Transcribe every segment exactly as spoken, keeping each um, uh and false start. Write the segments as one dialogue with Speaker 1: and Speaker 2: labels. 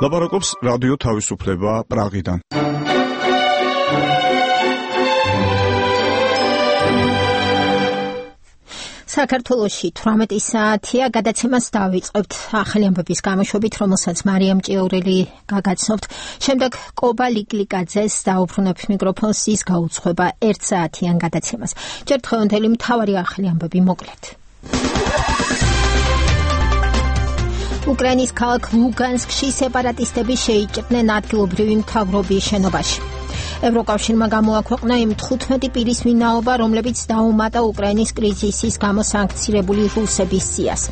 Speaker 1: ლაპარაკობს რადიო თავისუფლება პრაღიდან.
Speaker 2: საქართველოში თვრამეტი საათია, გადაცემას დავიწყებთ ახალი ამბების გამოშვებით, რომელსაც მარიამ ჭიაურელი გაგაცნობთ. შემდეგ კობა ლიკლიკაძეს დაუბრუნებთ მიკროფონს, ის გაუძღვება ერთ საათიან გადაცემას. ჯერ დღევანდელი მთავარი ახალი ამბები მოკლედ. უკრაინის ქალაქ ლუგანსკში სეპარატისტები შეიჭრნენ ადგილობრივი მთავრობის შენობაში. ევროკავშირმა გამოაქვეყნა იმ თხუთმეტი პირის ვინაობა, რომლებიც დაუმატა უკრაინის კრიზისის გამო სანქცირებული რუსების სიას.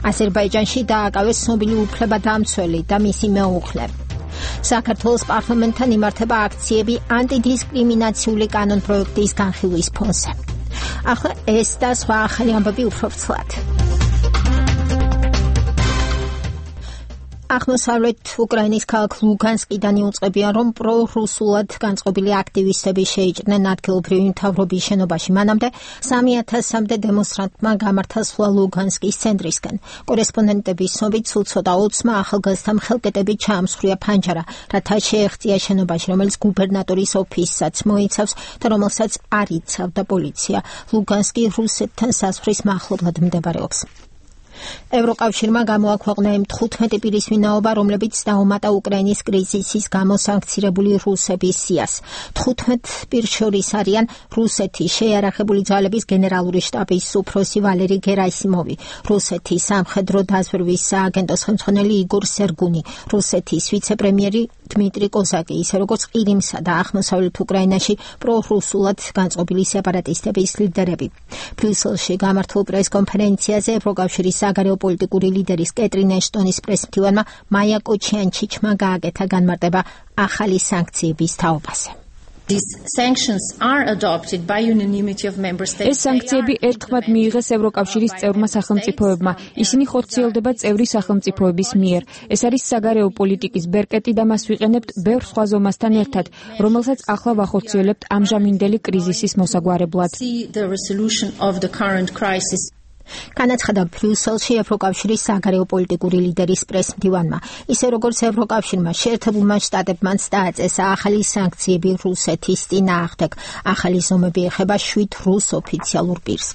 Speaker 2: აზერბაიჯანში დააკავეს ცნობილი უფლებადამცველი და მისი მეუღლე. საქართველოს პარლამენტთან იმართება აქციები ანტიდისკრიმინაციული კანონპროექტის განხილვის ფონზე. ახლა ეს და სხვა ახალი ამბები უფრო ვრცლად. აღმოსავლეთ უკრაინის ქალაქ ლუგანსკიდან იუწყებიან, რომ პრორუსულად განწყობილი აქტივისტები შეიჭრნენ ადგილობრივი მთავრობის შენობაში. მანამდე სამი ათასამდე დემონსტრანტმა გამართა სვლა ლუგანსკის ცენტრისკენ. კორესპონდენტების ცნობით სულ ცოტა ოცმა ახალგაზრდამ ხელკეტებით ჩაამსხვრია ფანჯარა, რათა შეეღწია შენობაში, რომელიც გუბერნატორის ოფისსაც მოიცავს და რომელსაც არ იცავდა პოლიცია. ლუგანსკი რუსეთთან საზღვრის მახლობლად მდებარეობს. ევროკავშირმა გამოაქვეყნა იმ თხუთმეტი პირის ვინაობა, რომლებიც დაუმატა უკრაინის კრიზისის გამო სანქცირებული რუსების სიას. თხუთმეტ პირს შორის არიან რუსეთის შეიარაღებული ძალების გენერალური შტაბის უფროსი ვალერი გერასიმოვი, რუსეთის სამხედრო დაზვერვის სააგენტოს ხელმძღვანელი იგორ სერგუნი, რუსეთის ვიცე-პრემიერი დმიტრი კოზაკი, ისე როგორც ყირიმსა და აღმოსავლეთ უკრაინაში პრორუსულად განწყობილი სეპარატისტების ლიდერები. ბრიუსელში გამართულ პრესკონფერენციაზე ევროკავშირის საგარეო პოლიტიკური ლიდერის კეტრინ ეშტონის პრესმდივანმა მაია კოჩიანჩიჩმა გააკეთა განმარტება ახალი სანქციების თაობაზე.
Speaker 3: These sanctions are adopted by unanimity of member states.
Speaker 4: ეს სანქციები ერთხმად მიიღეს ევროკავშირის წევრმა სახელმწიფოებმა. ისინი ხორციელდება წევრი სახელმწიფოების მიერ. ეს არის საგარეო პოლიტიკის ბერკეტი და მას ვიყენებთ ბევრ სხვა ზომასთან ერთად, რომელსაც ახლა ვახორციელებთ ამჟამინდელი კრიზისის მოსაგვარებლად.
Speaker 3: The resolution of the current crisis.
Speaker 2: განაცხადა ბრიუსელში ევროკავშირის საგარეო პოლიტიკური ლიდერის პრესმდივანმა. ისე როგორც ევროკავშირმა შეერთებულმა შტატებმაც დააწესა ახალი სანქციები რუსეთის წინააღმდეგ. ახალი ზომები ეხება შვიდ რუს ოფიციალურ პირს.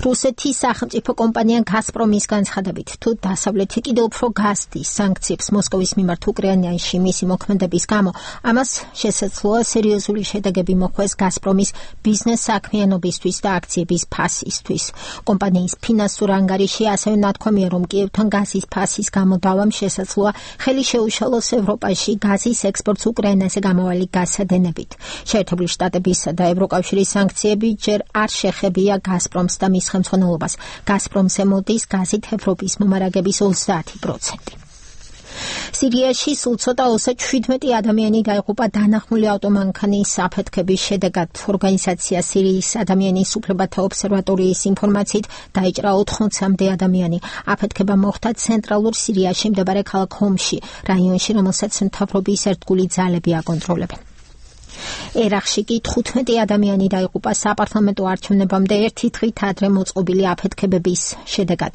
Speaker 2: რუსეთის სახელმწიფო კომპანია გაზპრომის განცხადებით, თუ დასავლეთი კიდევ უფრო გასდის სანქციებს მოსკოვის მიმართ უკრაინაში მისი მოქმედების გამო, ამას შესაძლოა სერიოზული შედეგები მოხვდეს გაზპრომის ბიზნეს საქმიანობისთვის და აქციების ფასისთვის. კომპანიის ფინანსურ ანგარიში ასევე ნათქვამია, რომ კიევთან გაზის ფასის გამოდავამ შესაძლოა ხელი შეუშალოს ევროპაში გაზის ექსპორტს უკრაინაზე გამავალი გასადენებით. შეერთებული შტატებისა და ევროკავშირის სანქციები ჯერ არ შეხებია გაზპრომს და მის ხელმძღვანელობას. გაზპრომს ემოდის გაზით ევროპის მომარაგების ოცდაათი პროცენტი. სირიაში სულ ცოტა ოცდაშვიდ შვიდმეტი ადამიანი დაიღუპა დანახმული ავტომანქანის აფეთქების შედეგად. ორგანიზაცია სირიის ადამიანის უფლებათა ობსერვატორიის ინფორმაციით დაიჭრა ოთხმოცამდე ადამიანი. აფეთქება მოხდა ცენტრალურ სირიაში მდებარე ქალაქ ჰომში, რაიონში, რომელსაც მთავრობის ერთგული ძალები აკონტროლებენ. ერახში კი თხუთმეტი ადამიანი დაიღუპა საპარლამენტო არჩევნებამდე ერთი დღით ადრე მოწყობილი აფეთქებების შედეგად.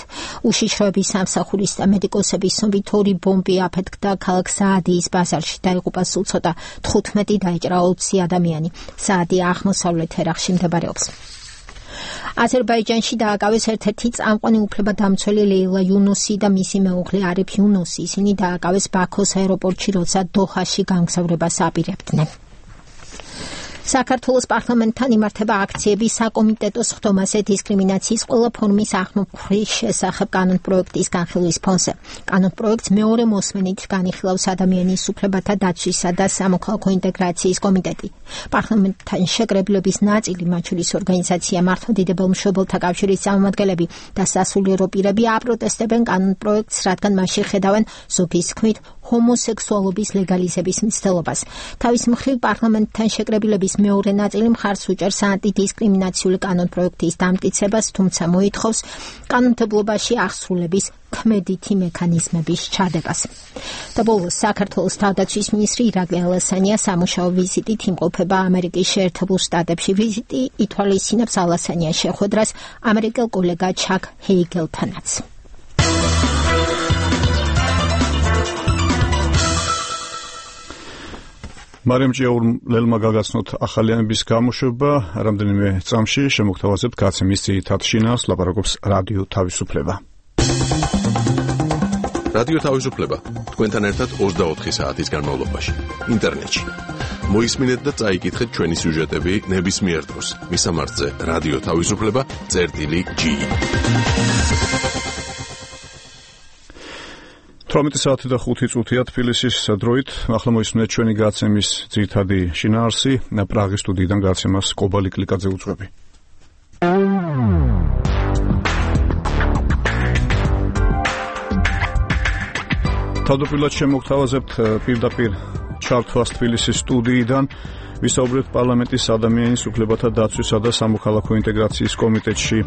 Speaker 2: უშიშროების სამსახურის და მედიკოსების ცნობით ორი ბომბი აფეთქდა ქალაქ საადიის ბაზარში. დაიღუპა სულ ცოტა თხუთმეტი, დაიჭრა ოცი ადამიანი. საადი აღმოსავლეთ ერახში მდებარეობს. აზერბაიჯანში დააკავეს ერთ-ერთი წამყვანი უფლებადამცველი ლეილა იუნუსი და მისი მეუღლე არიფ იუნუსი. ისინი დააკავეს ბაქოს აეროპორტში, როცა დოჰაში გამგზავრებას აპირებდნენ. საქართველოს პარლამენტთან იმართება აქციები საკომიტეტო სხდომაზე დისკრიმინაციის ყველა ფორმის აღმოფხვის შესახებ კანონპროექტის განხილვის ფონზე. კანონპროექტს მეორე მოსმენით განიხილავს ადამიანის უფლებათა დაცვისა და სამოქალაქო ინტეგრაციის კომიტეტი. პარლამენტთან შეკრებილების ნაწილი, მათ შორის ორგანიზაცია მართლმადიდებელ მშობელთა კავშირის წარმომადგენლები და სასულიერო პირები აპროტესტებენ კანონპროექტს, რადგან მასში ხედავენ ზოგის თქმით ჰომოსექსუალობის ლეგალიზების მცდელობას. თავის მხრივ პარლამენტთან შეკრებილების მეორე ნაწილი მხარს უჭერს ანტიდისკრიმინაციული კანონპროექტის დამტკიცებას, თუმცა მოითხოვს კანონმდებლობაში აღსრულების ქმედითი მექანიზმების ჩადებას. და ბოლოს საქართველოს თავდაცვის მინისტრი ირაკლი ალასანია სამუშაო ვიზიტით იმყოფება ამერიკის შეერთებულ შტატებში. ვიზიტი ითვალისწინებს ალასანიას შეხვედრას ამერიკელ კოლეგა ჩაკ ჰეიგელთანაც.
Speaker 1: მარიამ ჭიაურლელმა გაგაცნოთ ახალიანების გამოშვება, რამდენიმე წამში შემოგთავაზებთ გაცემის ძირითად შინაარსს, ლაპარაკობს რადიო თავისუფლება.
Speaker 5: რადიო თავისუფლება თქვენთან ერთად ოცდაოთხი საათის განმავლობაში ინტერნეტში. მოისმინეთ და წაიკითხეთ ჩვენი სიუჟეტები ნებისმიერ დროს. მისამართზე რადიო თავისუფლება წერტილი ჯი. თვრამეტი საათი და ხუთი წუთია თბილისის დროით. ახლა მოისმინეთ ჩვენი გაცემის ძირითადი შინაარსი. პრაღის სტუდიიდან გაცემას კობალი კლიკაძე უძღვები. თავდაპირველად შემოგთავაზებთ პირდაპირ ჩართვას თბილისის სტუდიიდან. ვისაუბრებთ პარლამენტის ადამიანის უფლებათა დაცვისა და სამოქალაქო ინტეგრაციის კომიტეტში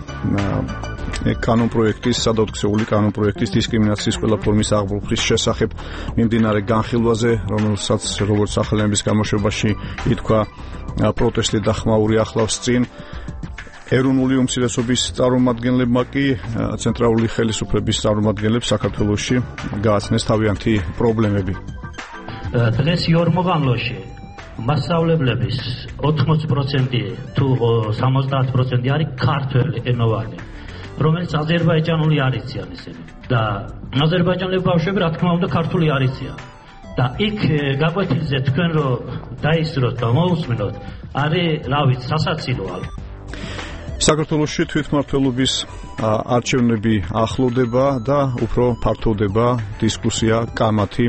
Speaker 5: კანონპროექტის, სადაოთხსეული კანონპროექტის დისკრიმინაციის ყველა ფორმის აღბურთის შესახებ მიმდინარე განხილვაზე, რომელსაც როგორც ახალიანების გამოშვებაში ითქვა პროტესტი და ხმაური ახლავს წინ. ეროვნული უმცირესობის წარმომადგენლებმა კი ცენტრალური ხელისუფლების წარმომადგენლებს საქართველოში გააცნეს თავიანთი პრობლემები.
Speaker 6: დღეს იორმოგამლოში მასშტაბლების ოთხმოცი პროცენტი თუ სამოცდაათი პროცენტი არის ქართველი ენოვანი, რომელიც აზერბაიჯანული არ იციან ისინი და აზერბაიჯანელი ბავშვები რა თქმა უნდა ქართული არ იციან და იქ გაკვეთილზე თქვენ რო დაისროთ და მოусმინოთ არის რა ვიცი სასაცილოა.
Speaker 1: საქართველოში თვითმმართველობის არჩევნები ახლოვდება და უფრო ფართოვდება დისკუსია კამათი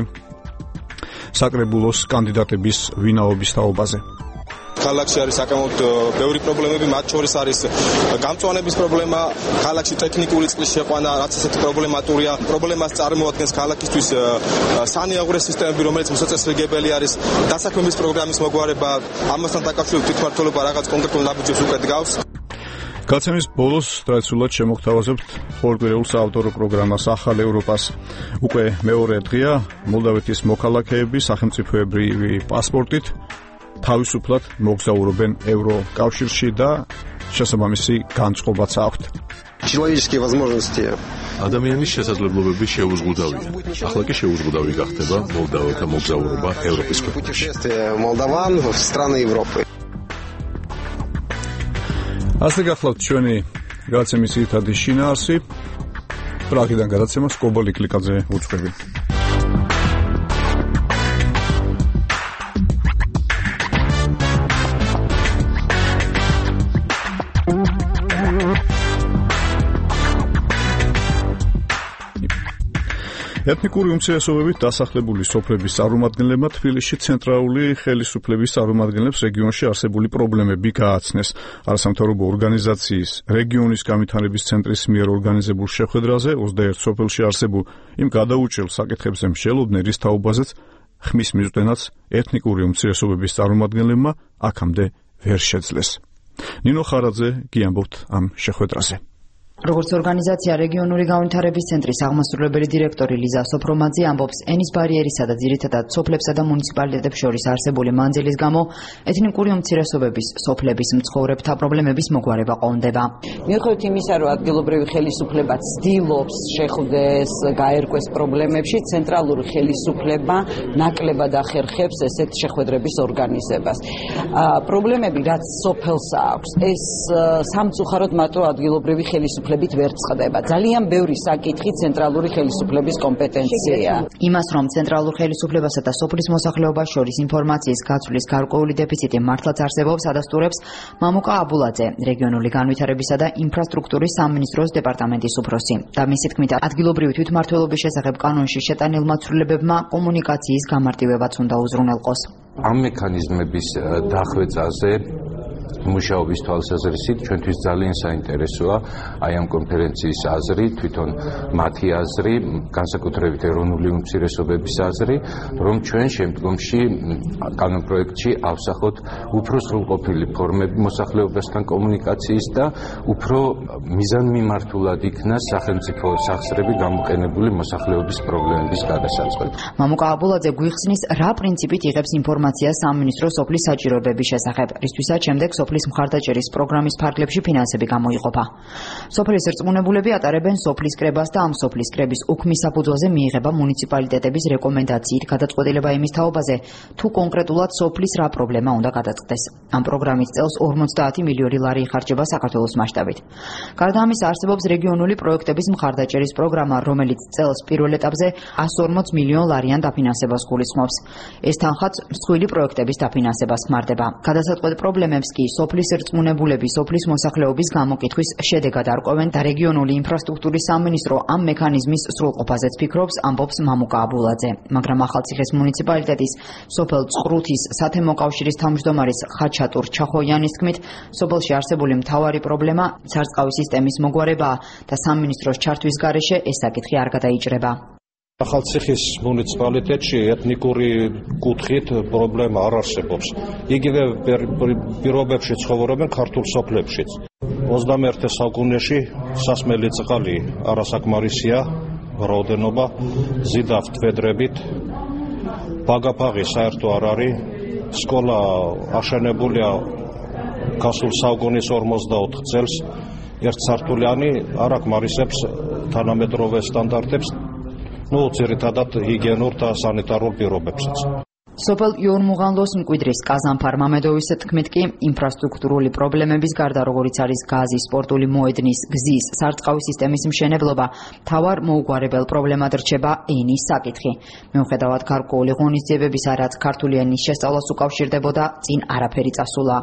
Speaker 1: საკრებულოს კანდიდატების ვინაობის თაობაზე.
Speaker 7: ქალაქში არის საკმაოდ ბევრი პრობლემები, მათ შორის არის გამწვანების პრობლემა, ქალაქში ტექნიკური წყლის შეყვანა, რაც ესეთი პრობლემატურია. პრობლემას წარმოადგენს ქალაქისთვის სანიაღვრე სისტემები, რომელიც მოსაწესრიგებელი არის, დასაქმების პროგრამის მოგვარება, ამასთან დაკავშირებით თვითმმართველობა რაღაც კონკრეტულ ნაბიჯებს უკეთ გავს.
Speaker 1: გაცემის ბოლოს ტრადიციულად შემოგთავაზებთ ხორგვირეულ საავტორო პროგრამას ახალ ევროპას. უკვე მეორე დღეა მოლდავეთის მოქალაქეები სახელმწიფოებრივი პასპორტით თავისუფლად მოგზაურობენ ევროკავშირში და შესაბამისი განწყობაც აქვთ.
Speaker 8: Человеческие возможности.
Speaker 5: ადამიანის შესაძლებლობები შეუზღუდავია. ახლა კი შეუზღუდავი გახდება მოლდაველთა მოგზაურობა ევროპის ქვეყნებში.
Speaker 8: Молдаван в страны Европы.
Speaker 1: ასე გახლავთ ჩვენი გაცემის ძირითადი შინაარსი. პრაღიდან გადაცემას კობალი კლიკაძე უძღვები. ეთნიკური უმცირესობებით დასახლებული სოფლების წარმომადგენლებმა თბილისში ცენტრალური ხელისუფლების წარმომადგენლებს რეგიონში არსებული პრობლემები გააცნეს. არასამთავრობო ორგანიზაციის რეგიონის განვითარების ცენტრის მიერ ორგანიზებულ შეხვედრაზე ოცდაერთ სოფელში არსებულ იმ გადაუჭრელ საკითხებზე მსჯელობდნენ თაობაზეც ხმის მიზნენაც ეთნიკური უმცირესობების წარმომადგენლებმა აქამდე ვერ შეძლეს. ნინო ხარაძე გიამბობთ ამ შეხვედრაზე.
Speaker 9: როგორც ორგანიზაცია რეგიონული განვითარების ცენტრის აღმასრულებელი დირექტორი ლიზა სოფრომაძე ამბობს, ენის ბარიერისა და ძირითადად სოფლებსა და მუნიციპალიტეტებს შორის არსებული მანძილის გამო ეთნიკური უმცირესობების სოფლების მცხოვრებთა პრობლემების მოგვარება ყონდება.
Speaker 10: მიუხედავად იმისა, რომ ადგილობრივი ხელისუფლება ცდილობს შეხვდეს, გაერკვეს პრობლემებში, ცენტრალური ხელისუფლება ნაკლებად ახერხებს ესეთ შეხვედრების ორგანიზებას. პრობლემები, რაც სოფელს აქვს, ეს სამწუხაროდ მარტო ადგილობრივი ხელისუფლება ვერ წყდება. ძალიან ბევრი საკითხი ცენტრალური ხელისუფლების კომპეტენცია.
Speaker 9: იმას, რომ ცენტრალურ ხელისუფლებასა და სოფლის მოსახლეობას შორის ინფორმაციის გაცვლის გარკვეული დეფიციტი მართლაც არსებობს, ადასტურებს მამუკა აბულაძე, რეგიონული განვითარებისა და ინფრასტრუქტურის სამინისტროს დეპარტამენტის უფროსი. და მისი თქმით, ადგილობრივი თვითმმართველობის შესახებ კანონში შეტანილმა ცვლილებებმა კომუნიკაციის გამარტივებაც უნდა უზრუნველყოს.
Speaker 11: ამ მექანიზმების დახვეწაზე მუშაობის თვალსაზრისით ჩვენთვის ძალიან საინტერესოა აი ამ კონფერენციის აზრი, თვითონ მათი აზრი, განსაკუთრებით ეროვნული უმცირესობების აზრი, რომ ჩვენ შემდგომში კანონპროექტში ავსახოთ უფრო სრულყოფილი ფორმები მოსახლეობასთან კომუნიკაციის და უფრო მიზანმიმართულად იქნა სახელმწიფო სახსრები გამოყენებული მოსახლეობის პრობლემების გადასაწყვეტ.
Speaker 9: მამუკა აბულაძე გვიხსნის, რა პრინციპით იღებს ინფორმაცია სამინისტრო სოფლის საჭიროებების შესახებ, რისთვისაც შემდეგ სოფლის მხარდაჭერის პროგრამის ფარგლებში ფინანსები გამოიყოფა. სოფლის რწმუნებულები ატარებენ სოფლის კრებას და ამ სოფლის კრების უქმის საფუძველზე მიიღება მუნიციპალიტეტების რეკომენდაციით გადაწყვეტილება იმის თაობაზე, თუ კონკრეტულად სოფლის რა პრობლემა უნდა გადაწყდეს. ამ პროგრამის წელს ორმოცდაათი მილიონი ლარი იხარჯება საქართველოს მასშტაბით. გარდა ამისა, არსებობს რეგიონული პროექტების მხარდაჭერის პროგრამა, რომელიც წელს პირველ ეტაპზე εκατს ორმოც მილიონ ლარიან დაფინანსებას გულისხმობს. ეს თანხაც მსხვილი პროექტების დაფინანსებას ხმარდება. გადასაწყვეტ პრობლემებს კი სოფლის რწმუნებულები სოფლის მოსახლეობის გამოკითხვის შედეგად არკვევენ და რეგიონული ინფრასტრუქტურის სამინისტრო ამ მექანიზმის სრულყოფაზეც ფიქრობს, ამბობს მამუკა აბულაძე. მაგრამ ახალციხის მუნიციპალიტეტის სოფელ წყრუთის სათემო კავშირის თავმჯდომარის ხაჩატურ ჩახოიანის თქმით, სოფელში არსებული მთავარი პრობლემა სარწყავი სისტემის მოგვარებაა და სამინისტროს ჩართვის გარეშე ეს საკითხი არ გადაიჭრება.
Speaker 12: ახალციხის მუნიციპალიტეტში ეთნიკური კუთხით პრობლემა არ არსებობს. იგივე პირობებში ცხოვრობენ ქართულ სოფლებშიც. ოცდამეერთე საუკუნეში სასმელი წყალი არასაკმარისია, რაოდენობა ზიდავთ ვედრებით, ბაგაფაღი საერთო არ არის, სკოლა აშენებულია გასულ საუკუნის ორმოცდაოთხ წელს, ერთსართულიანი არ აკმარისებს თანამედროვე სტანდარტებს, ну, ძირითადად ჰიგიენურ და სანიტარულ პირობებსაც.
Speaker 9: სოფელ იორმუღანლოს მკვიდრის კაზანფარ მამედოვის თქმით კი, ინფრასტრუქტურული პრობლემების გარდა, როგორიც არის გაზი, სპორტული მოედნის, გზის, სარწყავი სისტემის მშენებლობა, მთავარ მოუგვარებელ პრობლემად რჩება ენის საკითხი. მიუხედავად გარკვეული ღონისძიებებისა, რაც ქართული ენის შესწავლას უკავშირდებოდა, წინ არაფერი წასულა.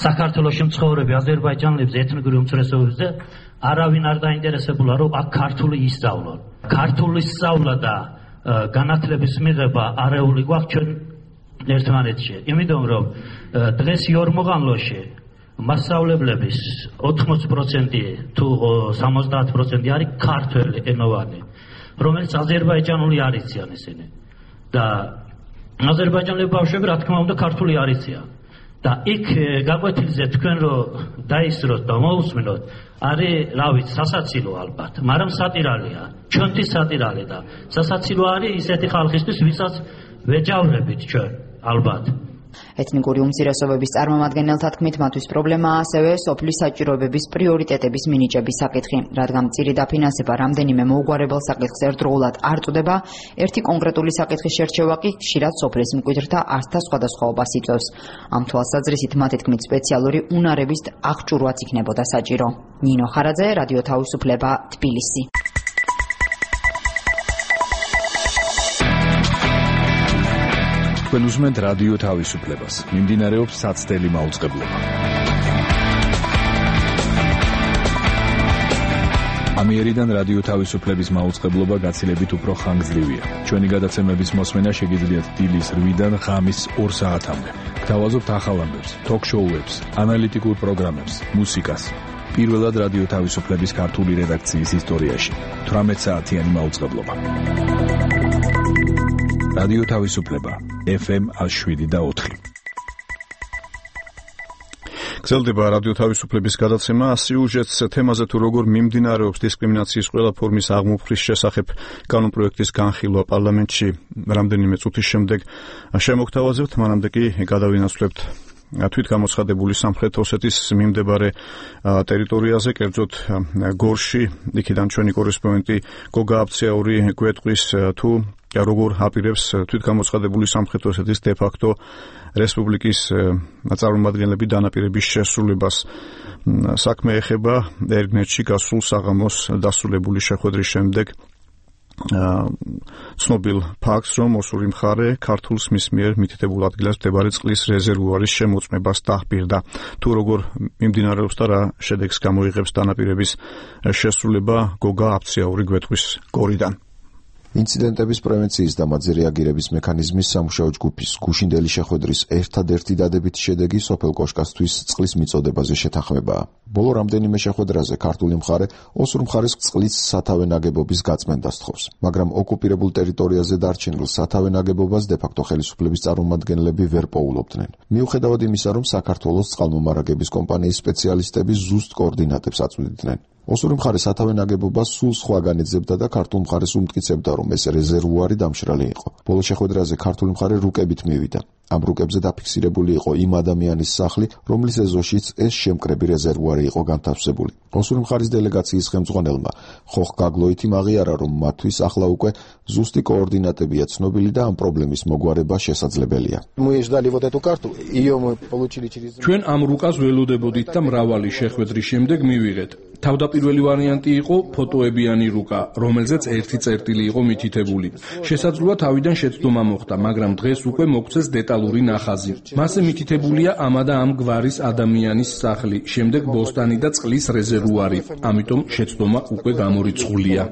Speaker 6: საქართველოში მცხოვრები აზერბაიჯანელებს ეთნიკური უმცირესობებზე არავინ არ დაინტერესებულა, რომ აქ ქართული ისწავლონ. ქართული სწავლა და განათლების მიღება არეული გვაქვს ჩვენ ერთმანეთში. იმიტომ რომ დღეს იორმუღანლოში მასწავლებლების ოთხმოც პროცენტი თუ სამოცდაათ პროცენტი არის ქართველი ენოვანი, რომელიც აზერბაიჯანული არ იციან ისინი. და აზერბაიჯანელი ბავშვები რა თქმა უნდა ქართული არ იციან. და იქ გაკვეთილზე თქვენ რომ დაისროთ და მოусმინოთ, არის, რა ვიცი, სასაცილო ალბათ, მაგრამ სატირალია. ჩვენთვის სატირალი და სასაცილო არის ისეთი ხალხისთვის, ვისაც ვეჯავრებით ჩვენ, ალბათ.
Speaker 9: ეთნიკური უმცირესობების წარმომადგენელთა თქმით, მათთვის პრობლემაა ასევე სოფლის საჭიროებების პრიორიტეტების მინიჭების საკითხი, რადგან მწირი დაფინანსება რამდენიმე მოუგვარებელ საკითხს ერთდროულად არ წვდება, ერთი კონკრეტული საკითხის შერჩევა კი ხშირად სოფლის მკვიდრთა არსთა სხვადასხვაობას იწვევს. ამ თვალსაზრისით მათი თქმით, სპეციალური უნარების აღჭურვაც იქნებოდა საჭირო. ნინო ხარაძე, რადიო თავისუფლება, თბილისი.
Speaker 13: თქვენ უსმენთ რადიო თავისუფლებას. მიმდინარეობს საცდელი მაუწყებლობა. ამიერიდან რადიო თავისუფლების მაუწყებლობა გაცილებით უფრო ხანგრძლივია. ჩვენი გადაცემების მოსმენა შეგიძლიათ დილის რვიდან ღამის ორ საათამდე. გთავაზობთ ახალ ამბებს, თოქ-შოუებს, ანალიტიკურ პროგრამებს, მუსიკას. პირველად რადიო თავისუფლების ქართული რედაქციის ისტორიაში. თვრამეტ საათიანი მაუწყებლობა. რადიო თავისუფლება ეფ ემ შვიდ და ოთხი.
Speaker 1: გრძელდება რადიო თავისუფლების გადაცემა სიუჟეტს თემაზე თუ როგორ მიმდინარეობს დისკრიმინაციის ყველა ფორმის აღმოფხრის შესახებ კანონპროექტის განხილვა პარლამენტში რამდენიმე წუთის შემდეგ შემოგთავაზებთ, მანამდე კი გადავინაცვლებთ თვითგამოცხადებული სამხრეთ ოსეთის მიმდებარე ტერიტორიაზე, კერძოდ გორში, იქიდან ჩვენი კორესპონდენტი გოგა აბცეაური გვეტყვის თუ როგორ აპირებს თვითგამოცხადებული სამხრეთ ოსეთის დე-ფაქტო რესპუბლიკის წარმომადგენლები დანაპირების შესრულებას. საქმე ეხება ერგნეტში გასულ საღამოს დასრულებული შეხვედრის შემდეგ ცნობილ ფაქტს, რომ ოსური მხარე ქართულს მის მიერ მითითებულ ადგილას მდებარე წყლის რეზერვუარის შემოწმებას დაჰპირდა. თუ როგორ მიმდინარეობს და რა შედეგს გამოიღებს დანაპირების შესრულება, გოგა აბცეაური გვეტყვის გორიდან.
Speaker 14: ინციდენტების პრევენციის და მათზე რეაგირების მექანიზმის სამუშაო ჯგუფის გუშინდელი შეხვედრის ერთადერთი დადებითი შედეგი სოფელ კოშკასთვის წყლის მიწოდებაზე შეთანხმებაა. ბოლო რამდენიმე შეხვედრაზე ქართული მხარე ოსურ მხარეს წყლის სათავე ნაგებობის გაწმენდას თხოვს, მაგრამ ოკუპირებულ ტერიტორიაზე დარჩენილ სათავე ნაგებობას დე-ფაქტო ხელისუფლების წარმომადგენლები ვერ პოულობდნენ. მიუხედავად იმისა, რომ საქართველოს წყალმომარაგების კომპანიის სპეციალისტები ზუსტ კოორდინატებს აწვდიდნენ. ოსური მხარე სათავე ნაგებობას სულ სხვაგან ეძებდა და ქართულ მხარეს უმტკიცებდა, რომ ეს რეზერვუარი დამშრალი იყო. ბოლო შეხვედრაზე ქართული მხარე რუკებით მივიდა. ამ რუკებზე დაფიქსირებული იყო იმ ადამიანის სახლი, რომლის ეზოშიც ეს შემკრები რეზერვუარი იყო განთავსებული. ოსური მხარის დელეგაციის ხელმძღვანელმა ხოხ გაგლოითიმ აღიარა, რომ მათთვის ახლა უკვე ზუსტი კოორდინატებია ცნობილი და ამ პრობლემის მოგვარება შესაძლებელია.
Speaker 13: ჩვენ ამ რუკას ველოდებოდით და მრავალი შეხვედრის შემდეგ მივიღეთ. თავდაპირველი ვარიანტი იყო ფოტოებიანი რუკა, რომელზეც ერთი წერტილი იყო მითითებული. შესაძლოა თავიდან შეცდომა მოხდა, მაგრამ დღეს უკვე მოგცეს დეტალური ნახაზი. მასზე მითითებულია ამა და ამ გვარის ადამიანის სახლი, შემდეგ ბოსტანი და წყლის რეზერვუარი. ამიტომ შეცდომა უკვე გამორიცხულია.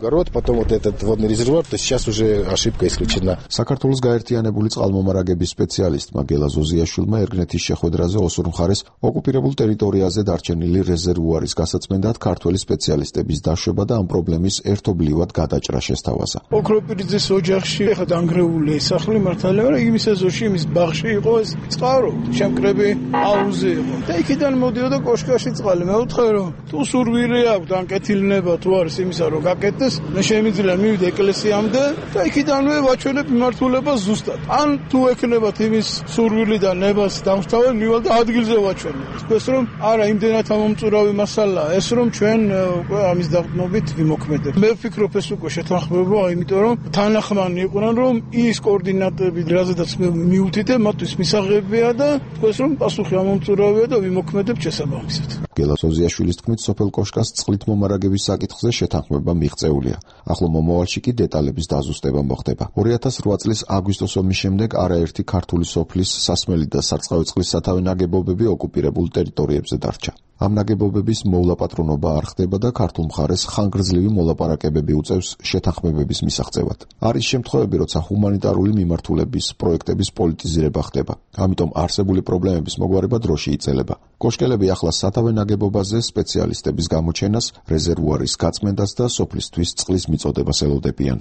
Speaker 14: საქართველოს გაერთიანებული წყალმომარაგების სპეციალისტმა გელა ზოზიაშვილმა ერგნეთის შეხვედრაზე ოსურ მხარეს ოკუპირებულ ტერიტორიაზე დარჩენილი რეზერვუარის გასაწმენდად ქართველი სპეციალისტების დაშვება და ამ პრობლემის ერთობლივად გადაჭრა შესთავაზა.
Speaker 15: ოქროპირიძის ოჯახში ხა დანგრეული სახლი მართალია, მაგრამ იმის ეზოში, იმის ბაღში იყო ეს წყარო, შემკრები აუზი იყო. და იქიდან მოდიოდა კოშკაში წყალი. მე ვთქვი, რომ თუ სურვილი აქვს ანკეთილნება თუ არის იმისა, რომ გაკეთდეს, მე შემიძლია მივიდე ეკლესიამდე და იქიდანვე ვაჩვენებ მიმართულებას ზუსტად. ან თუ ექნებათ იმის სურვილი და ნებას დამსთავე, მივალ და ადგილზე ვაჩვენებ. ეს რომ არა იმდენად ამომწურავი მასალაა, ეს რომ ჩვენ უკვე ამის დაყრდნობით ვიმოქმედებ. მე ვფიქრობ ეს უკვე შეთანხმებაა, იმიტომ რომ თანახმანი იყვნენ, რომ ის კოორდინატები, რაზედაც მე მივუთითე, მათთვის მისაღებია და ეს რომ პასუხი ამომწურავია და ვიმოქმედებ შესაბამისად.
Speaker 14: გელა ზოზიაშვილის თქმით, სოფელ კოშკას წყლით მომარაგების საკითხზე შეთანხმება მიღწეულია. ახლო მომავალში კი დეტალების დაზუსტება მოხდება. ორი ათას რვა წლის აგვისტოს ომის შემდეგ არაერთი ქართული სოფლის სასმელი და სარწყავი წყლის სათავე ნაგებობები ოკუპირებულ ტერიტორიებზე დარჩა. ამ ნაგებობების მოვლაპატრონობა არ ხდება და ქართულ მხარეს ხანგრძლივი მოლაპარაკებები უწევს შეთანხმებების მისაღწევად. არის შემთხვევები, როცა ჰუმანიტარული მიმართულების პროექტების პოლიტიზირება ხდება. ამიტომ არსებული პრობლემების მოგვარება დროში იწელება. კოშკელები ახლა სათავე ნაგებობაზე სპეციალისტების გამოჩენას, რეზერვუარის გაწმენდას და სოფლისთვის წყლის მიწოდებას ელოდებიან.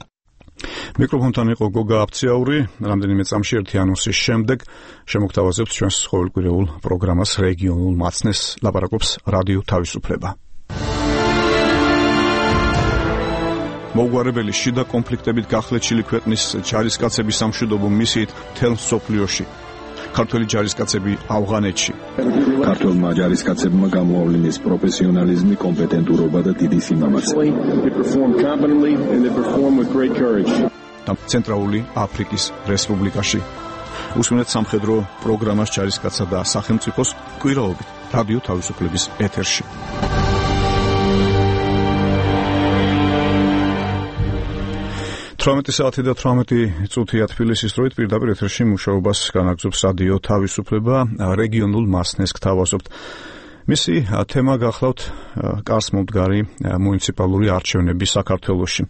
Speaker 1: მიკროფონთან იყო გოგა აფციაური. რამდენიმე წამში ერთი ანონსის შემდეგ შემოგთავაზებთ ჩვენს ყოველკვირეულ პროგრამას რეგიონულ მაცნეს, ლაპარაკობს რადიო თავისუფლება. მოუგვარებელი შიდა კონფლიქტებით გახლეჩილი ქვეყნის ჯარისკაცების სამშვიდობო მისიით მთელ მსოფლიოში. ქართველი ჯარისკაცები ავღანეთში.
Speaker 13: ქართველმა ჯარისკაცებმა გამოავლინეს პროფესიონალიზმი, კომპეტენტურობა და დიდი სიმამაცე.
Speaker 1: და ცენტრალური აფრიკის რესპუბლიკაში. უსმენთ სამხედრო პროგრამას ჯარისკაცსა და სახელმწიფოს კვირაობით რადიო თავისუფლების ეთერში. თვრამეტი საათი და თვრამეტი წუთია თბილისის დროით პირდაპირ ეთერში მუშაობას განაგრძობს რადიო თავისუფლება, რეგიონულ მასნეს გთავაზობთ. მისი თემა გახლავთ კარს მომდგარი მუნიციპალური არჩევნები საქართველოში.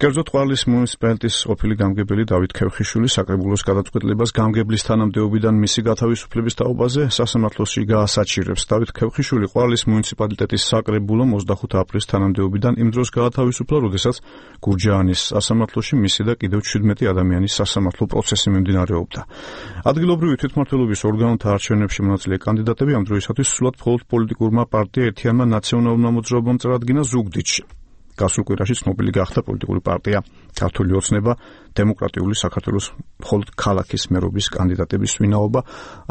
Speaker 1: კერძოდ ყვარლის მუნიციპალიტეტის ყოფილი გამგებელი დავით ქევხიშვილი საკრებულოს გადაწყვეტილებას გამგებლის თანამდებობიდან მისი გათავისუფლების თაობაზე სასამართლოში გაასაჩირებს. დავით ქევხიშვილი ყვარლის მუნიციპალიტეტის საკრებულომ ოცდახუთი აპრილის თანამდებობიდან იმ დროს გაათავისუფლა, როდესაც გურჯაანის სასამართლოში მისი და კიდევ შვიდმეტი ადამიანის სასამართლო პროცესი მიმდინარეობდა. ადგილობრივი თვითმმართველობის ორგანოთა არჩევნებში მონაწილე კანდიდატები ამ დროისათვის სრულად მხოლოდ პოლიტიკურმა პარტია ერთიანმა ნაციონალურმა მოძრაობამ წარადგინა ზუგდიდში. გასულ კვირაში ცნობილი გახდა პოლიტიკური პარტია ქართული ოცნება, დემოკრატიული საქართველოს მხოლოდ ქალაქის მერობის კანდიდატების ვინაობა.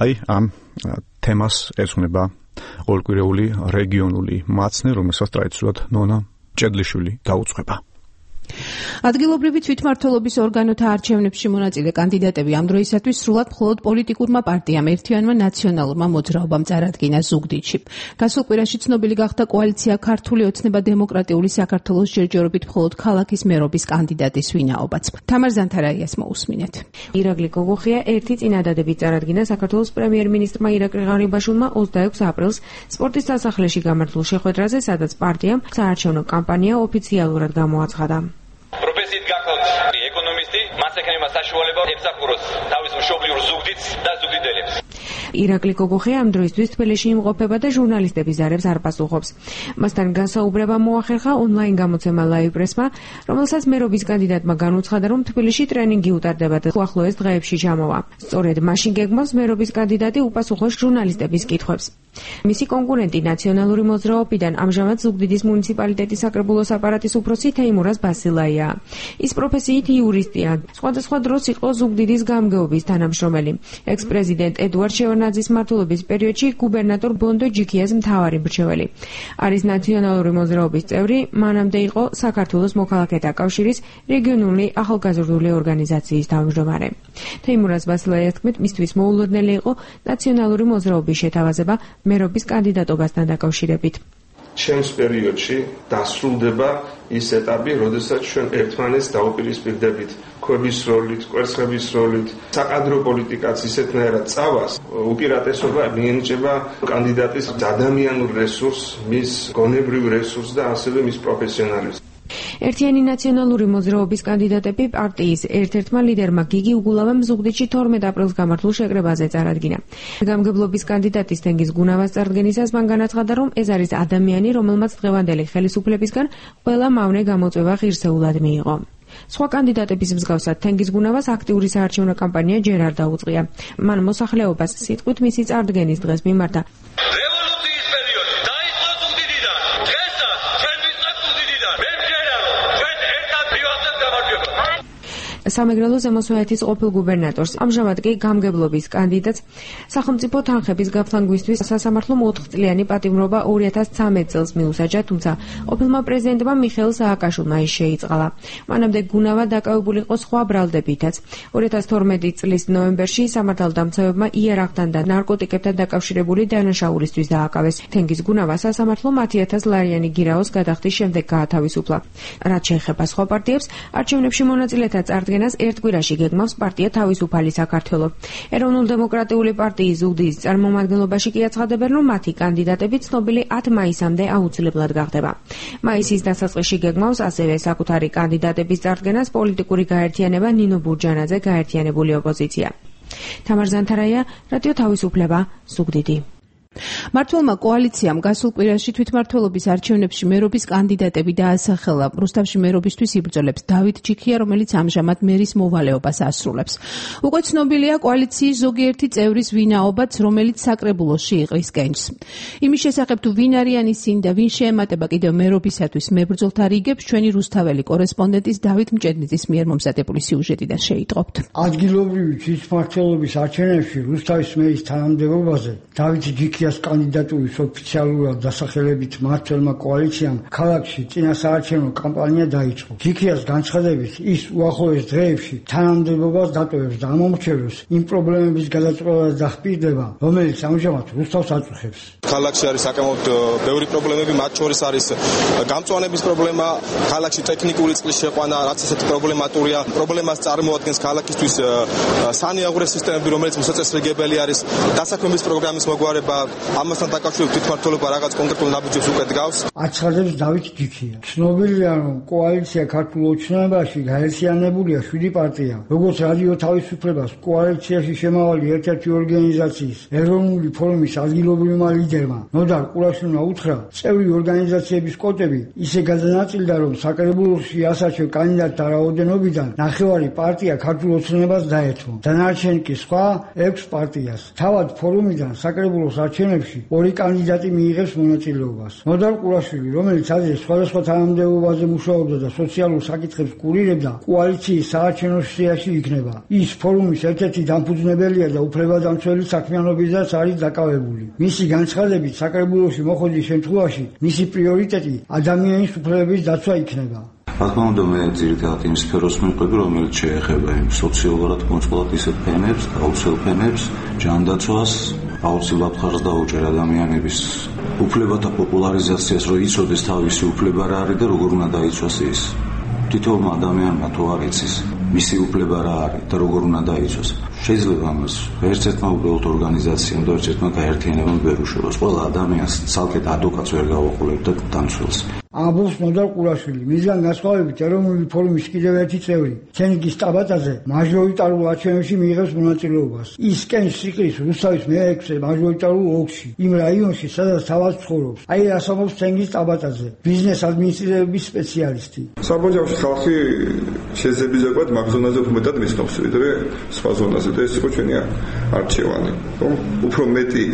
Speaker 1: აი ამ თემას ეძღვნება ყოველკვირეული რეგიონული მაცნე, რომელსაც ტრადიციულად ნონა ჭედლიშვილი გაუძღვება.
Speaker 16: ადგილობრივი თვითმმართველობის ორგანოთა არჩევნებში მონაწილე კანდიდატები ამ დროისათვის სრულად მხოლოდ პოლიტიკურმა პარტიამ ერთიანმა ნაციონალურმა მოძრაობამ წარადგინა ზუგდიდში. გასულ კვირაში ცნობილი გახდა კოალიცია ქართული ოცნება დემოკრატიული საქართველოს ჯერჯერობით მხოლოდ ქალაქის მერობის კანდიდატის ვინაობაც. თამარ ზანთარაიას მოусმინეთ.
Speaker 17: ირაკლი გოგოხია ერთი წინადადებით წარადგინა საქართველოს პრემიერ-მინისტრმა ირაკლი ღარიბაშვილმა ოცდაექვსი აპრილს სპორტის სასახლეში გამართულ შეხვედრაზე, სადაც პარტიამ საარჩევნო კამპანია ოფიციალურად გამოაცხადა.
Speaker 18: პროფესიით გახლავთ ეკონომისტი, მას ექნება საშუალება ემსახუროს თავის მშობლიურ ზუგდიდს და ზუგდიდელებს.
Speaker 17: ირაკლი გოგოხია ამ დროისთვის თბილისში იმყოფება და ჟურნალისტების ზარებს არ პასუხობს. მასთან განსაუბრება მოახერხა ონლაინ გამოცემა ლაივ პრესმა, რომელსაც მერობის კანდიდატმა განუცხადა, რომ თბილისში ტრენინგი უტარდება და უახლოეს დღეებში ჩამოვა. სწორედ მაშინ გეგმავს მერობის კანდიდატი უპასუხოს ჟურნალისტების კითხვებს. მისი კონკურენტი ნაციონალური მოძრაობიდან ამჟამად ზუგდიდის მუნიციპალიტეტის საკრებულოს აპარატის უფროსი თეიმურაზ ბასილაია. ის პროფესიით იურისტია. სხვადასხვა დროს იყო ზუგდიდის გამგეობის თანამშრომელი. ექს-პრეზიდენტ ედუარდ შევარდნაძის მმართველობის პერიოდში გუბერნატორ ბონდო ჯიქიას მთავარი მრჩეველი. არის ნაციონალური მოძრაობის წევრი, მანამდე იყო საქართველოს მოქალაქეთა კავშირის რეგიონული ახალგაზრდული ორგანიზაციის თავმჯდომარე. თეიმურაზ ბასილაიას თქმით, მისთვის მოულოდნელი იყო ნაციონალური მოძრაობის შეთავაზება მერობის კანდიდატობასთან დაკავშირებით.
Speaker 19: ჩემს პერიოდში დასრულდება ის ეტაპი, როდესაც ჩვენ ერთმანეთს დაუპირისპირდებით ქვების როლით, კვერცხების როლით, საკადრო პოლიტიკაც ისეთნაირად წავას, უპირატესობა მიენიჭება კანდიდატის ადამიანურ რესურსს, მის გონებრივ რესურსს და ასევე მის პროფესიონალიზმს.
Speaker 17: ერთიანი ნაციონალური მოძრაობის კანდიდატები პარტიის ერთ-ერთმა ლიდერმა გიგი უგულავამ ზუგდიდში თორმეტ აპრილს გამართულ შეკრებაზე წარადგინა. გამგებლობის კანდიდატის თენგიზ გუნავას წარდგენისას მან განაცხადა, რომ ეს არის ადამიანი, რომელმაც დღევანდელი ხელისუფლებისგან ყველა მავნე გამოწვევა ღირსეულად მიიღო. სხვა კანდიდატების მსგავსად თენგიზ გუნავას აქტიური საარჩევნო კამპანია ჯერ არ დაუწყია. მან მოსახლეობას სიტყვით მისი წარდგენის დღეს მიმართა. სამეგრელო ზემოსვეეთის ყოფილ გუბერნატორს, ამჟამად კი გამგებლობის კანდიდატს სახელმწიფო თანხების გაფლანგვისთვის სასამართლომ ოთხწლიანი პატიმრობა ორი ათას ცხრამეტ წელს მიუსაჯა, თუმცა ყოფილმა პრეზიდენტმა მიხეილ სააკაშვილმა ის შეიწყალა. მანამდე გუნავა დაკავებული იყო სხვა ბრალდებითაც. ორი ათას თორმეტი წლის ნოემბერში სამართალდამცავებმა იარაღთან და ნარკოტიკებთან დაკავშირებული დანაშაულისთვის დააკავეს. თენგიზ გუნავა სასამართლომ ათი ათას ლარიანი გირაოს გადახდის შემდეგ გაათავისუფლა. რაც შეეხება სხვა პარტიებს, არჩევნებში მონაწილეთა წარდგენა ერთ კვირაში გეგმავს პარტია თავისუფალი საქართველო. ეროვნულ-დემოკრატიული პარტიის ზუგდიდის წარმომადგენლობაში კი აცხადებენ, რომ მათი კანდიდატები ცნობილი ათ მაისამდე აუცილებლად გახდება. მაისის დასაწყისში გეგმავს ასევე საკუთარი კანდიდატების წარდგენას პოლიტიკური გაერთიანება ნინო ბურჯანაძე გაერთიანებული ოპოზიცია. თამარ ზანთარაია, რადიო თავისუფლება, ზუგდიდი.
Speaker 16: მართლმა კოალიციამ გასულ კვირაში თვითმმართველობის არჩევნებში მერობის კანდიდატები დაასახელა. რუსთავში მერობისთვის იბრძოლებს დავით ჯიქია, რომელიც ამჟამად მერის მოვალეობას ასრულებს. უკვე ცნობილია კოალიციის ზოგიერთი წევრის ვინაობაც, რომელიც საკრებულოში იყრის კენჭს. იმის შესახებ თუ ვინ არიან ისინი და ვინ შეემატება კიდევ მერობისათვის მებრძოლთა რიგებს, ჩვენი რუსთაველი კორესპონდენტის დავით მჭედნიძის მიერ მომზადებული სიუჟეტიდან შეიტყობთ.
Speaker 20: ადგილობრივი თვითმმართველობის არჩევნებში რუსთავის მერის თანამდებობაზე დავით ჯიქია კანდიდატურის ოფიციალურად დასახელებით მმართველმა კოალიციამ ქალაქში წინასაარჩევნო კამპანია დაიწყო. ჯიქიას განცხადებით, ის უახლოეს დღეებში თანამდებობას დატოვებს და ამომრჩევებს იმ პრობლემების გადაწყვეტას დახპირდება, რომელიც ამჟამად რუსთავს აწუხებს.
Speaker 7: ქალაქში არის საკმაოდ ბევრი პრობლემები, მათ შორის არის გამწვანების პრობლემა, ქალაქში ტექნიკური წყლის შეყვანა, რაც ესეთი პრობლემატურია. პრობლემას წარმოადგენს ქალაქისთვის სანიაღვრე სისტემები, რომელიც მისაწესრიგებელი არის, დასაქმების პროგრამის მოგვარება. ამასთან დაკავშირებით თვითმმართველობა რაღაც კონკრეტულ ნაბიჯებს უკვე დგავს.
Speaker 20: აცხადებს დავით ჯიქია. ცნობილია, რომ კოალიცია ქართულ ოცნებაში გაერთიანებულია შვიდი პარტია. როგორც რადიო თავისუფლებას კოალიციაში შემავალი ერთ-ერთი ორგანიზაციის ეროვნული ფორუმის ადგილობრივმა ლიდერმა ნოდარ ყურაშვილმა უთხრა, წევრი ორგანიზაციების კოტები ისე გადანაწილდა, რომ საკრებულოში ასარჩევ კანდიდატთა რაოდენობიდან ნახევარი პარტია ქართულ ოცნებას დაეთმო. დანარჩენი კი სხვა ექვს პარტიას. თავად ფორუმიდან საკრებულოს არჩევნებში ორი კანდიდატი მიიღებს მონაწილეობას. ნოდარ ყურაშვილი, რომელიც ადრე სხვადასხვა თანამდებობაზე მუშაობდა და სოციალურ საკითხებს კურირებდა, კოალიციის საარჩევნო სიაში იქნება. ის ფორუმის ერთ-ერთი დამფუძნებელია და უფლებადამცველი საქმიანობისას არის დაკავებული. მისი განცხადებით, საკრებულოში მოხვედრის შემთხვევაში მისი პრიორიტეტი ადამიანის უფლებების დაცვა იქნება.
Speaker 21: რა თქმა უნდა, მე ძირითადად იმ სფეროს მიყვები, რომელიც შეეხება იმ სოციალურად მოწყვლად ისეთ ფენებს, აუცილ ფენებს, ჯანდაცვას, აუცილებლად ხარს დაუჭერ ადამიანების უფლებათა პოპულარიზაციას, რომ იცოდეს თავისი უფლება რა არის და როგორ უნდა დაიცვას ის. თითოეულმა ადამიანმა თუ არ იცის მისი უფლება რა არის და როგორ უნდა დაიცვას, შეიძლება ამას ერთ-ერთმა უბრალოდ ორგანიზაციამ და ერთ-ერთმა გაერთიანებამ ვერ უშევოს. ყველა ადამიანს ცალკე ადვოკატს ვერ გავაყოლებ და დამცველს.
Speaker 20: ამბობს ნოდარ ყურაშვილი. მისგან განსხვავებით ეროვნული ფორუმის კიდევ ერთი წევრი, თენგიზ ტაბატაძე, მაჟორიტარულ არჩევნებში მიიღებს მონაწილეობას. ის კენჭს იყრის რუსთავის მეექვსე მაჟორიტარულ ოლქში, იმ რაიონში, სადაც თავად ცხოვრობს. აი რას ამბობს თენგიზ ტაბატაძე, ბიზნეს ადმინისტრირების სპეციალისტი.
Speaker 22: საბოჯავში ხალხი შეძლებიზებად მაგ ზონაზე უფრო მეტად მისნობს, ვიდრე სხვა ზონაზე.
Speaker 4: ცოტა ეს იყო ჩვენი არჩევანი. რომ უფრო მეტი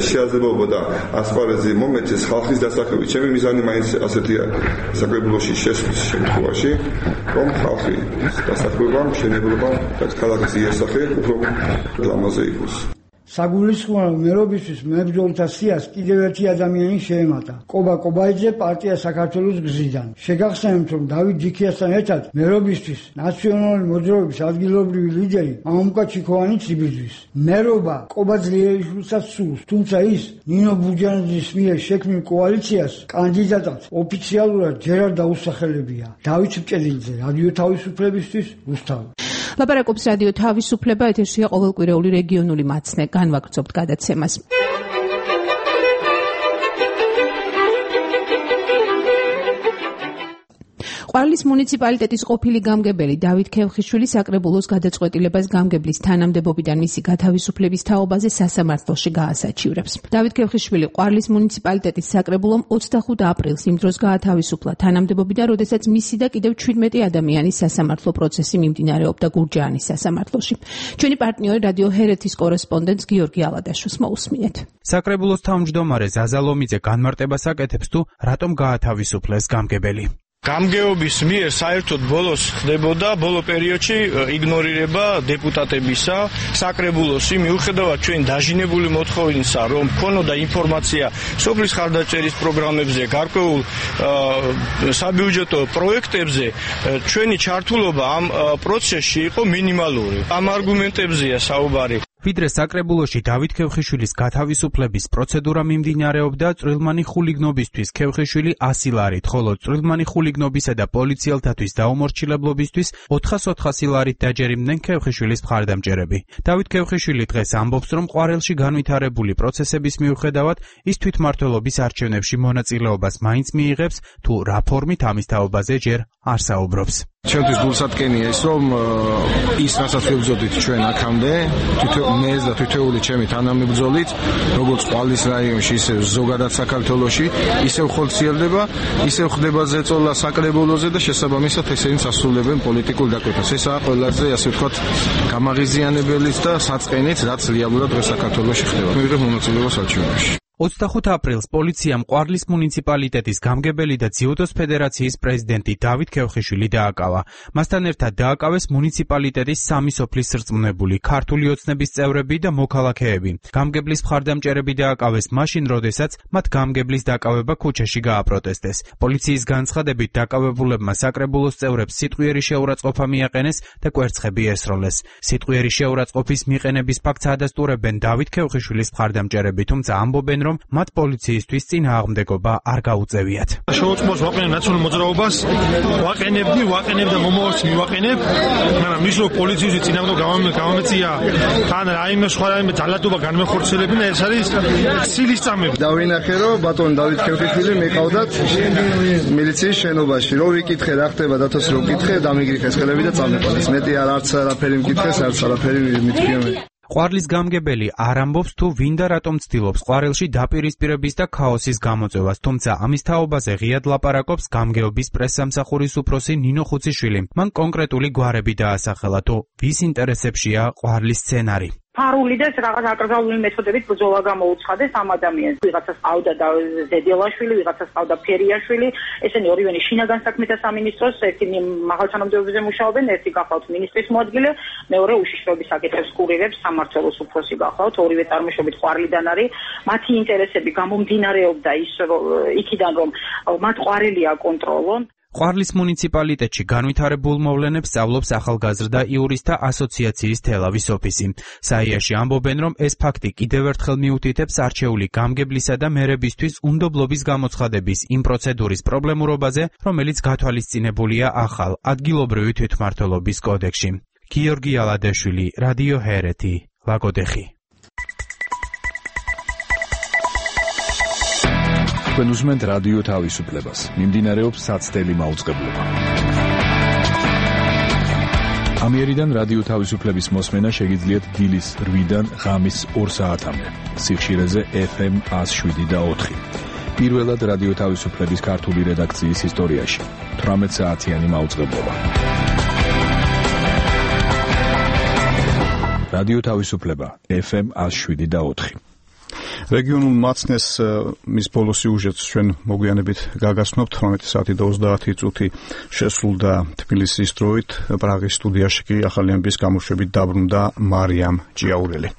Speaker 4: შეაძლებლობა და ასპარეზი მომეცეს ხალხის დასაქმებით. ჩემი მიზანი მაინც ასეთია საკრებულოში შესვლის შემთხვევაში, რომ ხალხი დასაქმება, მშენებლობა და ქალაქის იასახე უფრო ლამაზე იყოს.
Speaker 20: საგულისხმოა მერობისთვის მებრძოლთა სიას კიდევ ერთი ადამიანი შეემატა. კობა კობაიძე პარტია საქართველოს გზიდან. შეგახსენებთ, რომ დავით ჯიქიასთან ერთად მერობისთვის ნაციონალური მოძრაობის ადგილობრივი ლიდერი მამუკა ჩიქოვანიც იბრძვის. მერობა კობა ძლიერიშვილსაც სურს, თუმცა ის ნინო ბუჯანაძის მიერ შექმნილ კოალიციას კანდიდატად ოფიციალურად ჯერ არ დაუსახელებია. დავით მჭედილიძე, რადიო თავისუფლებისთვის, რუსთავი.
Speaker 16: ლაპარაკობს რადიო თავისუფლება, ეთერშია ყოველკვირეული რეგიონული მაცნე. განვაგრძობთ გადაცემას. ყვარლის მუნიციპალიტეტის ყოფილი გამგებელი დავით ქევხიშვილი საკრებულოს გადაწყვეტილებას გამგებლის თანამდებობიდან მისი გათავისუფლების თაობაზე სასამართლოში გაასაჩივრებს. დავით ქევხიშვილი ყვარლის მუნიციპალიტეტის საკრებულომ ოცდახუთ აპრილს იმ დროს გაათავისუფლა თანამდებობიდან, როდესაც მისი და კიდევ ჩვიდმეტი ადამიანის სასამართლო პროცესი მიმდინარეობდა გურჯაანის სასამართლოში. ჩვენი პარტნიორი რადიო ჰერეთის კორესპონდენტს გიორგი ალადაშვილს მოусმინეთ.
Speaker 22: საკრებულოს თავმჯდომარე ზაზა ლომიძე განმარტებას აკეთებს თუ რატომ გაათავისუფლეს გამგებელი.
Speaker 23: გამგეობის მიერ საერთოდ ბოლოს ხდებოდა ბოლო პერიოდში იგნორირება დეპუტატებისა საკრებულოსი, მიუხედავად ჩვენ დაჟინებული მოთხოვნისა, რომ ქონოდა ინფორმაცია სოფლის ხარდაჭერის პროგრამებზე, გარკვეულ საბიუჯეტო პროექტებზე, ჩვენი ჩართულობა ამ პროცესში იყო მინიმალური. ამ არგუმენტებზეა საუბარი.
Speaker 22: ვიდრე საკრებულოში დავით ქევხიშვილის გათავისუფლების პროცედურა მიმდინარეობდა, წვრილმანი ხულიგნობისთვის ქევხიშვილი ასი ლარით, ხოლო წვრილმანი ხულიგნობისა და პოლიციელთათვის დაუმორჩილებლობისთვის ოთხას ოთხასი ლარით დაჯერიმდნენ ქევხიშვილის მხარდამჭერები. დავით ქევხიშვილი დღეს ამბობს, რომ ყვარელში განვითარებული პროცესების მიუხედავად ის თვითმმართველობის არჩევნებში მონაწილეობას მაინც მიიღებს, თუ რა ფორმით ამის თაობაზე ჯერ არ საუბრობს.
Speaker 12: ჩემთვის გულსატკენია ის, რომ ის რასაც ვებრძოდით ჩვენ აქამდე, მე და თითოეული ჩემი თანამებრძოლით, როგორც ყვარლის რაიონში, ისე ზოგადად საქართველოში, ისევ ხორციელდება, ისევ ხდება ზეწოლა საკრებულოზე და შესაბამისად ესენი ასრულებენ პოლიტიკურ დაკვეთას. ესაა ყველაზე, ასე ვთქვათ, გამაღიზიანებელიც და საწყენიც, რაც რეალურად დღეს საქართველოში ხდება. მივიღებ მონაწილეობას არჩევნებში.
Speaker 22: ოცდახუთ აპრილს პოლიციამ ყვარლის მუნიციპალიტეტის გამგებელი და ძიუდოს ფედერაციის პრეზიდენტი დავით ქევხიშვილი დააკავა. მასთან ერთად დააკავეს მუნიციპალიტეტის სამი სოფლის სრწმუნებული, ქართული ოცნების წევრები და მოქალაქეები. გამგებლის მხარდამჭერები დააკავეს მაშინ, როდესაც მათ გამგებლის დაკავება ქუჩაში გააპროტესტეს. პოლიციის განცხადებით დაკავებულებმა საკრებულოს წევრებს სიტყვიერი შეურაცხყოფა მიაყენეს და კვერცხები ესროლეს. სიტყვიერი შეურაცხყოფის მიყენების ფაქტს ადასტურებენ დავით ქევხიშვილის მხარდამჭერები, თუმცა ამბობენ, რომ მათ პოლიციისთვის წინააღმდეგობა არ გაუწევიათ.
Speaker 23: შეუწყოს ვაყენებ ნაციონალურ მოძრაობას, ვაყენებდი, ვაყენებ და მომავალს მივაყენებ, მაგრამ ის რომ პოლიციის წინააღმდეგობა გამომეწია, თან რაიმე სხვა რაიმე ძალადობა განმეხორციელებინა, ეს არის ცილის წამები.
Speaker 24: დავინახე, რომ ბატონ დავით ქევხიშვილი მეყავდათ მილიციის შენობაში, რომ ვიკითხე რა ხდება, დათოს რომ ვკითხე, დამიგრიხე ხელები და წამეყოლეს. მეტი არ არც არაფერი მკითხეს, არც არაფერი მითქვია მე.
Speaker 22: ყვარლის გამგებელი არ ამბობს თუ ვინ და რატომ ცდილობს ყვარელში დაპირისპირების და ქაოსის გამოწევას, თუმცა ამის თაობაზე ღიად ლაპარაკობს გამგეობის პრესსამსახურის უფროსი ნინო ხუციშვილი. მან კონკრეტული გვარები დაასახელა, თუ ვის ინტერესებშია ყვარლის სცენარი.
Speaker 25: ფარული და რაღაც აკრძალული მეთოდებით ბრძოლა გამოუცხადეს ამ ადამიანს. ვიღაცას ყავდა და ზედელაშვილი, ვიღაცას ყავდა ფერიაშვილი, ესენი ორივენი შინაგან საქმეთა სამინისტროს, ერთი მაღალ თანამდებობებზე მუშაობენ, ერთი გახლავთ მინისტრის მოადგილე, მეორე უშიშროების საკითხებს კურირებს, სამმართველოს უფროსი გახლავთ, ორივე წარმოშობით ყვარლიდან არის. მათი ინტერესები გამომდინარეობდა ის იქიდან, რომ მათ ყვარელი აკონტროლონ.
Speaker 22: ყვარლის მუნიციპალიტეტში განვითარებულ მოვლენებს სწავლობს ახალგაზრდა იურისტთა ასოციაციის თელავის ოფისი. საიაში ამბობენ, რომ ეს ფაქტი კიდევ ერთხელ მიუთითებს არჩეული გამგებლისა და მერებისთვის უნდობლობის გამოცხადების იმ პროცედურის პრობლემურობაზე, რომელიც გათვალისწინებულია ახალ ადგილობრივი თვითმმართველობის კოდექსში. გიორგი ალადაშვილი, რადიო ჰერეთი, ლაგოდეხი.
Speaker 13: თქვენ უსმენთ რადიო თავისუფლებას. მიმდინარეობს საცდელი მაუწყებლობა. ამიერიდან რადიო თავისუფლების მოსმენა შეგიძლიათ დილის რვიდან ღამის ორ საათამდე. სიხშირეზე ეფ ემ ას შვიდი და ოთხი. პირველად რადიო თავისუფლების ქართული რედაქციის ისტორიაში. თვრამეტ საათიანი მაუწყებლობა. რადიო თავისუფლება ეფ ემ one oh seven და four.
Speaker 1: რეგიონულ მაცნეს მის ბოლო სიუჟეტს ჩვენ მოგვიანებით გაგაცნობთ. თვრამეტი საათი და ოცდაათი წუთი შესრულდა თბილისის დროით. პრაღის სტუდიაში კი ახალი ამბის გამოშვებით დაბრუნდა მარიამ ჭიაურელი.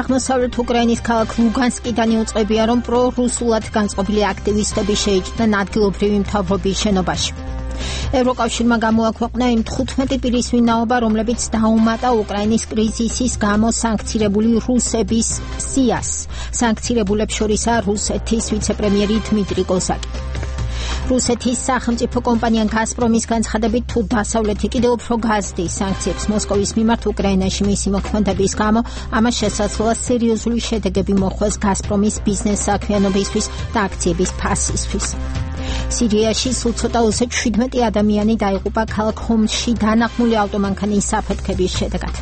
Speaker 2: აღმოსავლეთ უკრაინის ქალაქ ლუგანსკიდან იუწყებია, რომ პრორუსულად განწყობილი აქტივისტები შეიჭრნენ ადგილობრივი მთავრობის შენობაში. ევროკავშირმა გამოაქვეყნა იმ თხუთმეტი პირის ვინაობა, რომლებიც დაუმატა უკრაინის კრიზისის გამო სანქცირებული რუსების სიას. სანქცირებულებს შორისაა რუსეთის ვიცე-პრემიერი დმიტრი კოზაკი. რუსეთის სახელმწიფო კომპანია გაზპრომის განცხადებით, თუ დასავლეთი კიდევ უფრო გაზრდის სანქციებს მოსკოვის მიმართ უკრაინაში მისი მოქმედების გამო, ამას შესაძლოა სერიოზული შედეგები მოხვდეს გაზპრომის ბიზნეს საქმიანობისთვის და აქციების ფასისთვის. სირიაში სულ ცოტა ოცდაშვიდმეტი ადამიანი დაიღუპა ქალაქ ჰომსში დანახმული ავტომანქანის საფეთქების შედეგად.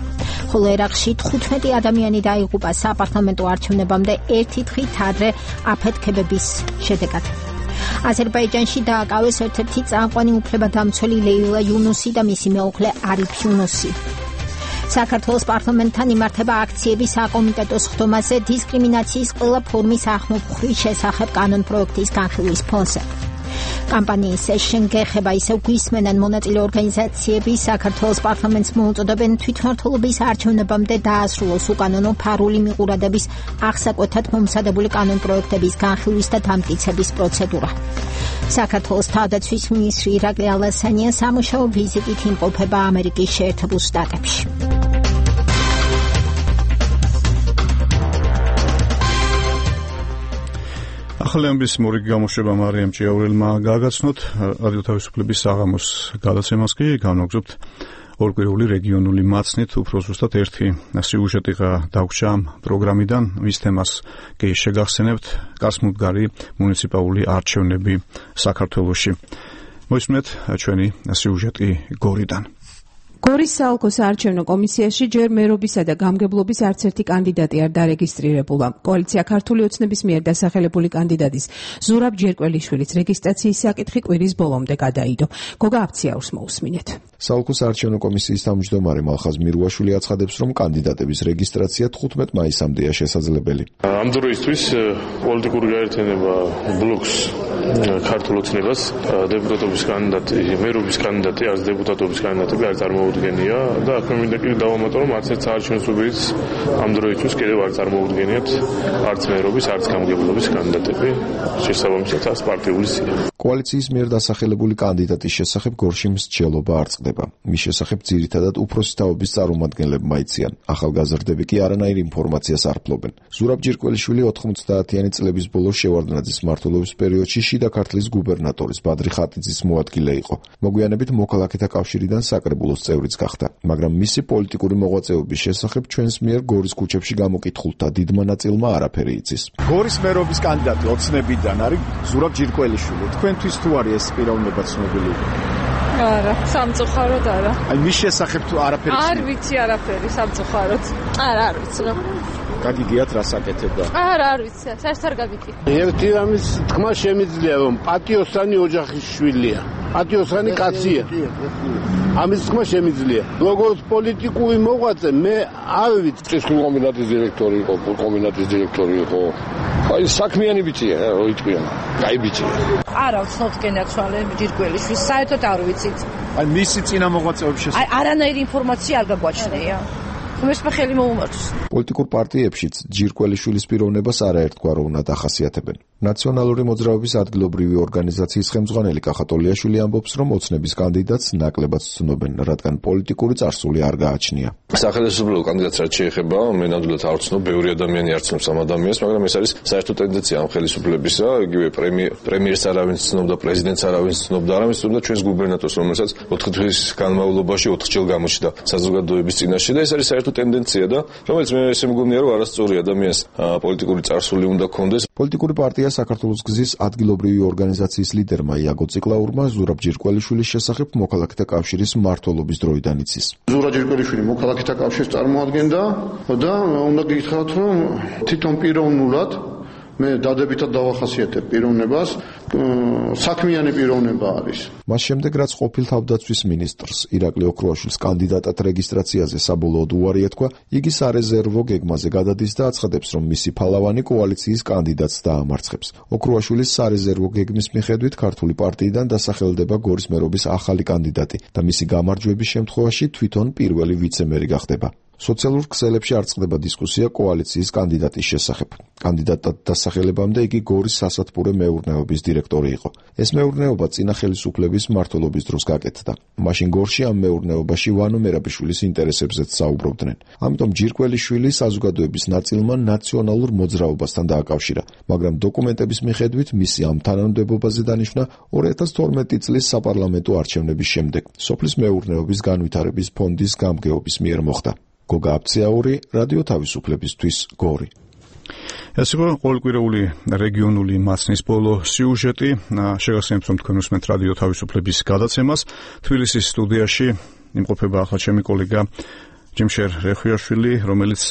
Speaker 2: ხოლო ერაყში თხუთმეტი ადამიანი დაიღუპა საპარლამენტო არჩევნებამდე ერთი დღით ადრე აფეთქებების შედეგად. აზერბაიჯანში დააკავეს ერთ-ერთი წამყვანი უფლებადამცველი ლეილა იუნუსი და მისი მეუღლე არიფ იუნუსი. საქართველოს პარლამენტთან იმართება აქციები საკომიტეტო სხდომაზე დისკრიმინაციის ყველა ფორმის ახმოვხრის შესახებ კანონპროექტის განხილვის ფონზე. კამპანიის სეშენ გეხება ისევ გვისმენან მონაწილე ორგანიზაციები საქართველოს პარლამენტს მოუწოდებენ თვითმმართველობის არჩევნებამდე დაასრულოს უკანონო ფარული მიყურადების აღსაკვეთად მომზადებული კანონპროექტების განხილვის და დამტკიცების პროცედურა. საქართველოს თავდაცვის მინისტრი ირაკლი ალასანია სამუშაო ვიზიტით იმყოფება ამერიკის შეერთებულ შტატებში.
Speaker 1: ახალი ამბის მორიგი გამოშვება მარიამ ჭიაურელმა გაგაცნოთ. რადიო თავისუფლების საღამოს გადაცემას კი განვაგრძობთ ორკვირეული რეგიონული მაცნით. უფრო ზუსტად ერთი სიუჟეტი დაგვრჩა პროგრამიდან, მის თემას კი შეგახსენებთ გასმუდგარი მუნიციპალური არჩევნები საქართველოში. მოისმენთ ჩვენი სიუჟეტი გორიდან.
Speaker 16: გორის საოლქო საარჩევნო კომისიაში ჯერ მერობისა და გამგებლობის არც ერთი კანდიდატი არ დარეგისტრირებულა. კოალიცია ქართული ოცნების მიერ დასახელებული კანდიდატის ზურაბ ჯერკველიშვილის რეგისტრაციის საკითხი კვირის ბოლომდე გადაიდო. გოგა აფციაურს მოусმინეთ.
Speaker 14: საოლქო საარჩევნო კომისიის თავმჯდომარე მალხაზ მირუაშვილი აცხადებს, რომ კანდიდატების რეგისტრაცია თხუთმეტ მაისამდეა შესაძლებელი.
Speaker 3: ამ დროისთვის პოლიტიკური გაერთიანება ბლოკს ქართულ ოცნებას დეპუტატობის კანდიდატი, მერობის კანდიდატი, არც დეპუტატობის კანდიდატები არ წარმოუდგენია და აქ მინდა კიდევ დავამატო, რომ არც ერთ საარჩევნო სუბიექტს ამ დროისთვის კიდევ არ წარმოუდგენიათ არც მერობის, არც გამგებლობის კანდიდატები, შესაბამისად არც პარტიული სია.
Speaker 14: კოალიციის მიერ დასახელებული კანდიდატის შესახებ გორში მსჯელობა არ წყდება. მის შესახებ ძირითადად უფროსი თაობის წარმომადგენლებმა იციან. ახალგაზრდები კი არანაირ ინფორმაციას არ ფლობენ. ზურაბ ჯერკველიშვილი ოთხმოცდაათიანი წლების ბოლოს შევარდნაძის მმართველობის პერიოდში შიდა ქართლის გუბერნატორის ბადრი ხატიძის მოადგილე იყო. მოგვიანებით მოქალაქეთა კავშირიდან საკრებულოს წევრიც გახდა, მაგრამ მისი პოლიტიკური მოღვაწეობის შესახებ ჩვენს მიერ გორის ქუჩებში გამოკითხულთა დიდმა ნაწილმა არაფერი იცის.
Speaker 5: გორის მერობის კანდიდატი ოცნებიდან არის ზურაბ ჯერკველიშვილი. თქვენთვის თუ არის ეს პიროვნება ცნობილი?
Speaker 8: არა, სამწუხაროდ არა.
Speaker 5: აი მის შესახებ თუ არაფერი
Speaker 8: არ ვიცი არაფერი სამწუხაროდ. არა, არ ვიცი რა.
Speaker 5: გაგიგიათ რას აკეთებდა?
Speaker 8: არა, არ ვიცი, საერთოდ არ გაგიგია.
Speaker 10: ერთი რამის თქმა შემიძლია, რომ პატიოსანი ოჯახის შვილია. პატიოსანი კაცია. ამის თქმა შემიძლია. როგორც პოლიტიკური მოღვაწე მე არ ვიცი.
Speaker 26: ეს კომბინატის დირექტორი იყო, კომბინატის დირექტორი იყო. აი საქმიანი ბიჭია, ოიტყვიანი. კაი ბიჭია.
Speaker 8: არა, ვცნობთ გენაცვალე ჯირკველიშვილს, საერთოდ არ ვიცით.
Speaker 5: აი მისი წინა მოღვაწეობის შესახებ.
Speaker 8: აი არანაირი ინფორმაცია არ გაგვაჩნია. მესმე ხელი მოუმართოს.
Speaker 14: პოლიტიკურ პარტიებშიც ჯირკველიშვილის პიროვნებას არაერთგვაროვნად უნდა დახასიათებენ. ნაციონალური მოძრაობის ადგილობრივი ორგანიზაციის ხელმძღვანელი კახატოლიაშვილი ამბობს, რომ ოცნების კანდიდატს ნაკლებად ცნობენ, რადგან პოლიტიკური წარსული არ გააჩნია.
Speaker 26: სახელმწიფო კანდიდატს რაც შეეხება, მე ნამდვილად არ ვცნობ, ბევრი ადამიანი არ ცნობს ამ ადამიანს, მაგრამ ეს არის საერთო ტენდენცია ამ ხელისუფლებისა, იგივე პრემიერს არავინც ცნობდა, პრეზიდენტს არავინც ცნობდა, არავინც ცნობდა ჩვენს გუბერნატორს, რომელსაც ოთხი დღის განმავლობაში ოთხ ჯერ გამოჩნდა საზოგადოების წინაშე და ეს არის საერთო ტენდენცია და რომელიც მე ესე მგონია, რომ არასწორი ადამიანს პოლიტიკური წარსული უნდა ქონდეს.
Speaker 14: პოლიტიკური პარტია საქართველოს გზის ადგილობრივი ორგანიზაციის ლიდერმა იაგო ციკლაურმა ზურაბ ჯერკველიშვილის შესახებ მოქალაქეთა კავშირის მმართველობის დროიდან იცის.
Speaker 10: ზურაბ ჯერკველიშვილი მოქალაქეთა კავშირს წარმოადგენდა და უნდა გითხრათ, რომ თვითონ პიროვნულად მე დადებითად დავახასიათებ პიროვნებას, საქმიანი პიროვნება არის.
Speaker 14: მას შემდეგ რაც ყოფილ თავდაცვის მინისტრს ირაკლი ოქრუაშვილის კანდიდატად რეგისტრაციაზე საბოლოოდ უარი ეთქვა, იგი სარეზერვო გეგმაზე გადადის და აცხადებს, რომ მისი ფალავანი კოალიციის კანდიდატს დაამარცხებს. ოქრუაშვილის სარეზერვო გეგმის მიხედვით ქართული პარტიიდან დასახელდება გორის მერობის ახალი კანდიდატი და მისი გამარჯვების შემთხვევაში თვითონ პირველი ვიცემერი გახდება. სოციალურ ქსელებში არ წყდება დისკუსია კოალიციის კანდიდატის შესახებ. კანდიდატად დასახელებამდე იგი გორის სასათბურე მეურნეობის დირექტორი იყო. ეს მეურნეობა წინა ხელისუფლების მმართველობის დროს გაკეთდა. მაშინ გორში ამ მეურნეობაში ვანო მერაბიშვილის ინტერესებზეც საუბრობდნენ. ამიტომ ჯირკველიშვილი საზოგადოების ნაწილმა ნაციონალურ მოძრაობასთან დააკავშირა, მაგრამ დოკუმენტების მიხედვით მისი ამ თანამდებობაზე დანიშვნა ორი ათას თორმეტი წლის საპარლამენტო არჩევნების შემდეგ სოფლის მეურნეობის განვითარების ფონდის გამგეობის მიერ მოხდა. გოგა აფციაური, რადიო თავისუფლებისთვის, გორი.
Speaker 1: ეს იყო ყოველკვირეული რეგიონული მასნის ბოლო სიუჟეტი. შეგახსენებთ, რომ თქვენ უსმენთ რადიო თავისუფლების გადაცემას. თბილისის სტუდიაში იმყოფება ახლა ჩემი კოლეგა ჯიმშერ რეხვიაშვილი, რომელიც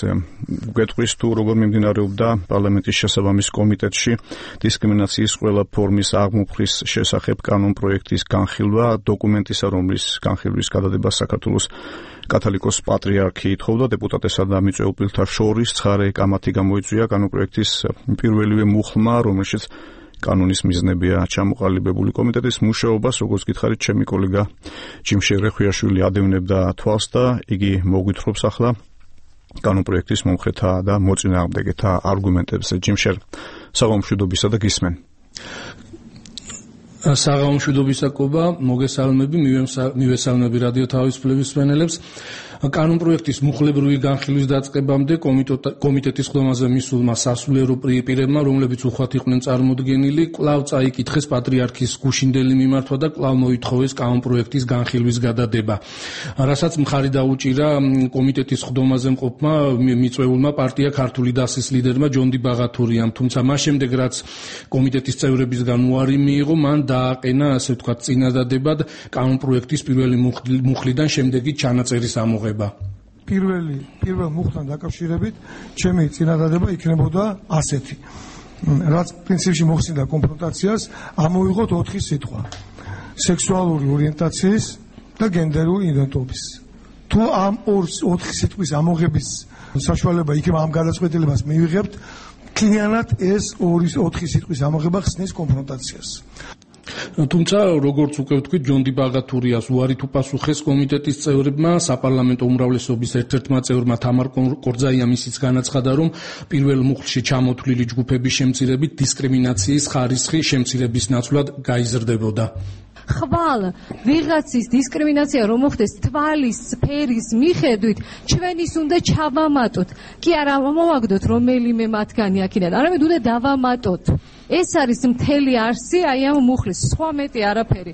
Speaker 1: გვეტყვის თუ როგორ მიმდინარეობდა პარლამენტის შესაბამის კომიტეტში დისკრიმინაციის ყველა ფორმის აღმოფხრის შესახებ კანონპროექტის განხილვა, დოკუმენტისა, რომლის განხილვის გადადება საქართველოს კათოლიკოს პატრიარქი ითხოვდა დეპუტატესა და მიწვეულთა შორის ცხარე კამათი გამოიწვია კანონპროექტის პირველივე მუხლმა, რომელშიც კანონის მიზნებია ჩამოყალიბებული კომიტეტის მუშაობას, როგორც გითხარით, ჩემი კოლეგა ჯიმშერ რეხვიაშვილი ადევნებდა თვალს და იგი მოგვითხრობს ახლა კანონპროექტის მომხრეთა და მოწინააღმდეგეთა არგუმენტებზე. ჯიმშერ, საღამომშვიდობისა და გისმენ.
Speaker 6: საღამომშვიდობისაკობა, მოგესალმები, მივესალმები რადიო თავისუფლების მსმენელებს. კანონპროექტის მუხლებრივი განხილვის დაწყებამდე კომიტეტის ხდომაზე მისულმა სასულიერო პირებმა, რომლებიც უხვად იყვნენ წარმოდგენილი, კვლავ წაიკითხეს პატრიარქის გუშინდელი მიმართვა და კვლავ მოითხოვეს კანონპროექტის განხილვის გადადება. რასაც მხარი დაუჭირა კომიტეტის ხდომაზე მყოფმა მიწვეულმა პარტია ქართული დასის ლიდერმა ჯონდი ბაღათურიამ, თუმცა მას შემდეგ რაც კომიტეტის წევრებისგან უარი მიიღო, მან დააყენა, ასე ვთქვათ, წინადადებად კანონპროექტის პირველი მუხლიდან შემდეგი ჩანაწერის ამოღება.
Speaker 23: პირველი პირველ მუხლთან დაკავშირებით ჩემი წინადადება იქნებოდა ასეთი. რაც პრინციპში მოხსნიდა კონფრონტაციას, ამოვიღოთ ოთხი სიტყვა. სექსუალური ორიენტაციის და გენდერული იდენტობის. თუ ამ ოთხი სიტყვის ამოღების საშუალება იქნება ამ გადაწყვეტილებას მივიღებთ, მთლიანად ეს ოთხი სიტყვის ამოღება ხსნის კონფრონტაციას.
Speaker 6: თუმცა, როგორც უკვე ვთქვით, ჯონდი ბაღათურიას უარი თუ პასუხეს კომიტეტის წევრებმა, საპარლამენტო უმრავლესობის ერთ-ერთმა წევრმა თამარ კორძაიამ ისიც განაცხადა, რომ პირველ მუხლში ჩამოთვლილი ჯგუფების შემცირებით დისკრიმინაციის ხარისხი შემცირების ნაცვლად გაიზრდებოდა.
Speaker 9: ხვალ ვიღაცის დისკრიმინაცია რომ მოხდეს თვალის სფერის მიხედვით, ჩვენ ის უნდა ჩავამატოთ. კი არა მოვაგდოთ რომელიმე მათგანი აქედან, არამედ უნდა დავამატოთ. ეს არის მთელი არსი აი ამ მუხლის, სხვა მეტი არაფერი.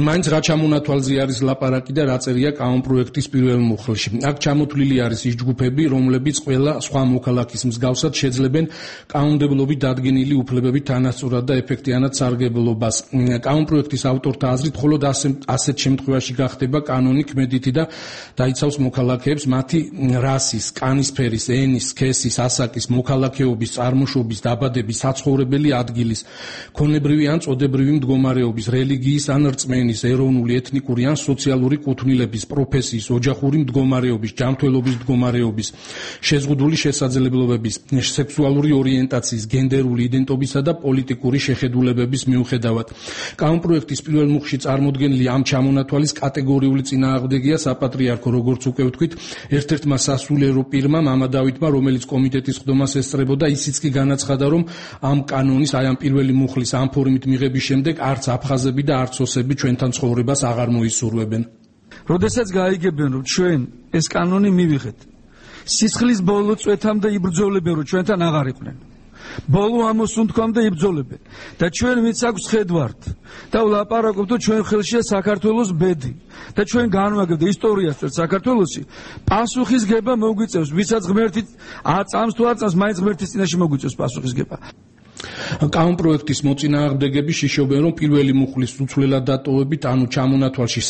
Speaker 6: მაინც რა ჩამონათვალზე არის ლაპარაკი და რა წერია კანონპროექტის პირველ მუხლში. აქ ჩამოთვლილი არის ის ჯგუფები, რომლებიც ყველა სხვა მოქალაქის მსგავსად შეძლებენ კანონმდებლობით დადგენილი უფლებებით თანასწორად და ეფექტიანად სარგებლობას. კანონპროექტის ავტორთა აზრით, მხოლოდ ასეთ შემთხვევაში გახდება კანონი ქმედითი და დაიცავს მოქალაქეებს მათი რასის, კანისფერის, ენის, სქესის, ასაკის, მოქალაქეობის, წარმოშობის, დაბადების, საცხოვრებელი ადგილის, ქონებრივი ან წოდებრივი მდგომარეობის, რელიგიის ან რწმენის, ეროვნული, ეთნიკური ან სოციალური კუთვნილების, პროფესიის, ოჯახური მდგომარეობის, ჯანმრთელობის მდგომარეობის, შეზღუდული შესაძლებლობების, სექსუალური ორიენტაციის, გენდერული იდენტობისა და პოლიტიკური შეხედულებების მიუხედავად. კანონპროექტის პირველ მუხლში წარმოდგენილი ამ ჩამონათვალის კატეგორიული წინააღმდეგია საპატრიარქო, როგორც უკვე ვთქვით, ერთ-ერთმა სასულიერო პირმა, მამა დავითმა, რომელიც კომიტეტის ხდომას ესწრებოდა, ისიც კი განაცხადა, რომ ამ კანონის, აი ამ პირველი მუხლის ამ ფორმით მიღების შემდეგ არც აფხაზები და არც ოსები ჩვენთან ცხოვრებას აღარ მოისურვებენ.
Speaker 11: როდესაც გაიგებენ, რომ ჩვენ ეს კანონი მივიღეთ, სისხლის ბოლო წვეთამდე იბრძოლებენ, რომ ჩვენთან აღარ იყვნენ. ბოლო ამოსუნთქვამდე იბრძოლებენ და ჩვენ ვინც აქვს ხედვართ და ვლაპარაკობთ, რომ ჩვენ ხელშია საქართველოს ბედი და ჩვენ განვაგებთ ისტორიას წერ საქართველოსი, პასუხისგება მოგვიწევს, ვისაც ღმერთი აწამს თუ აწამს, მაინც ღმერთის წინაშე მოგვიწევს პასუხისგება.
Speaker 6: კანონპროექტის მოწინააღმდეგები შიშობენ, რომ პირველი მუხლის უცვლელად დატოვებით, ანუ ჩამონათვალში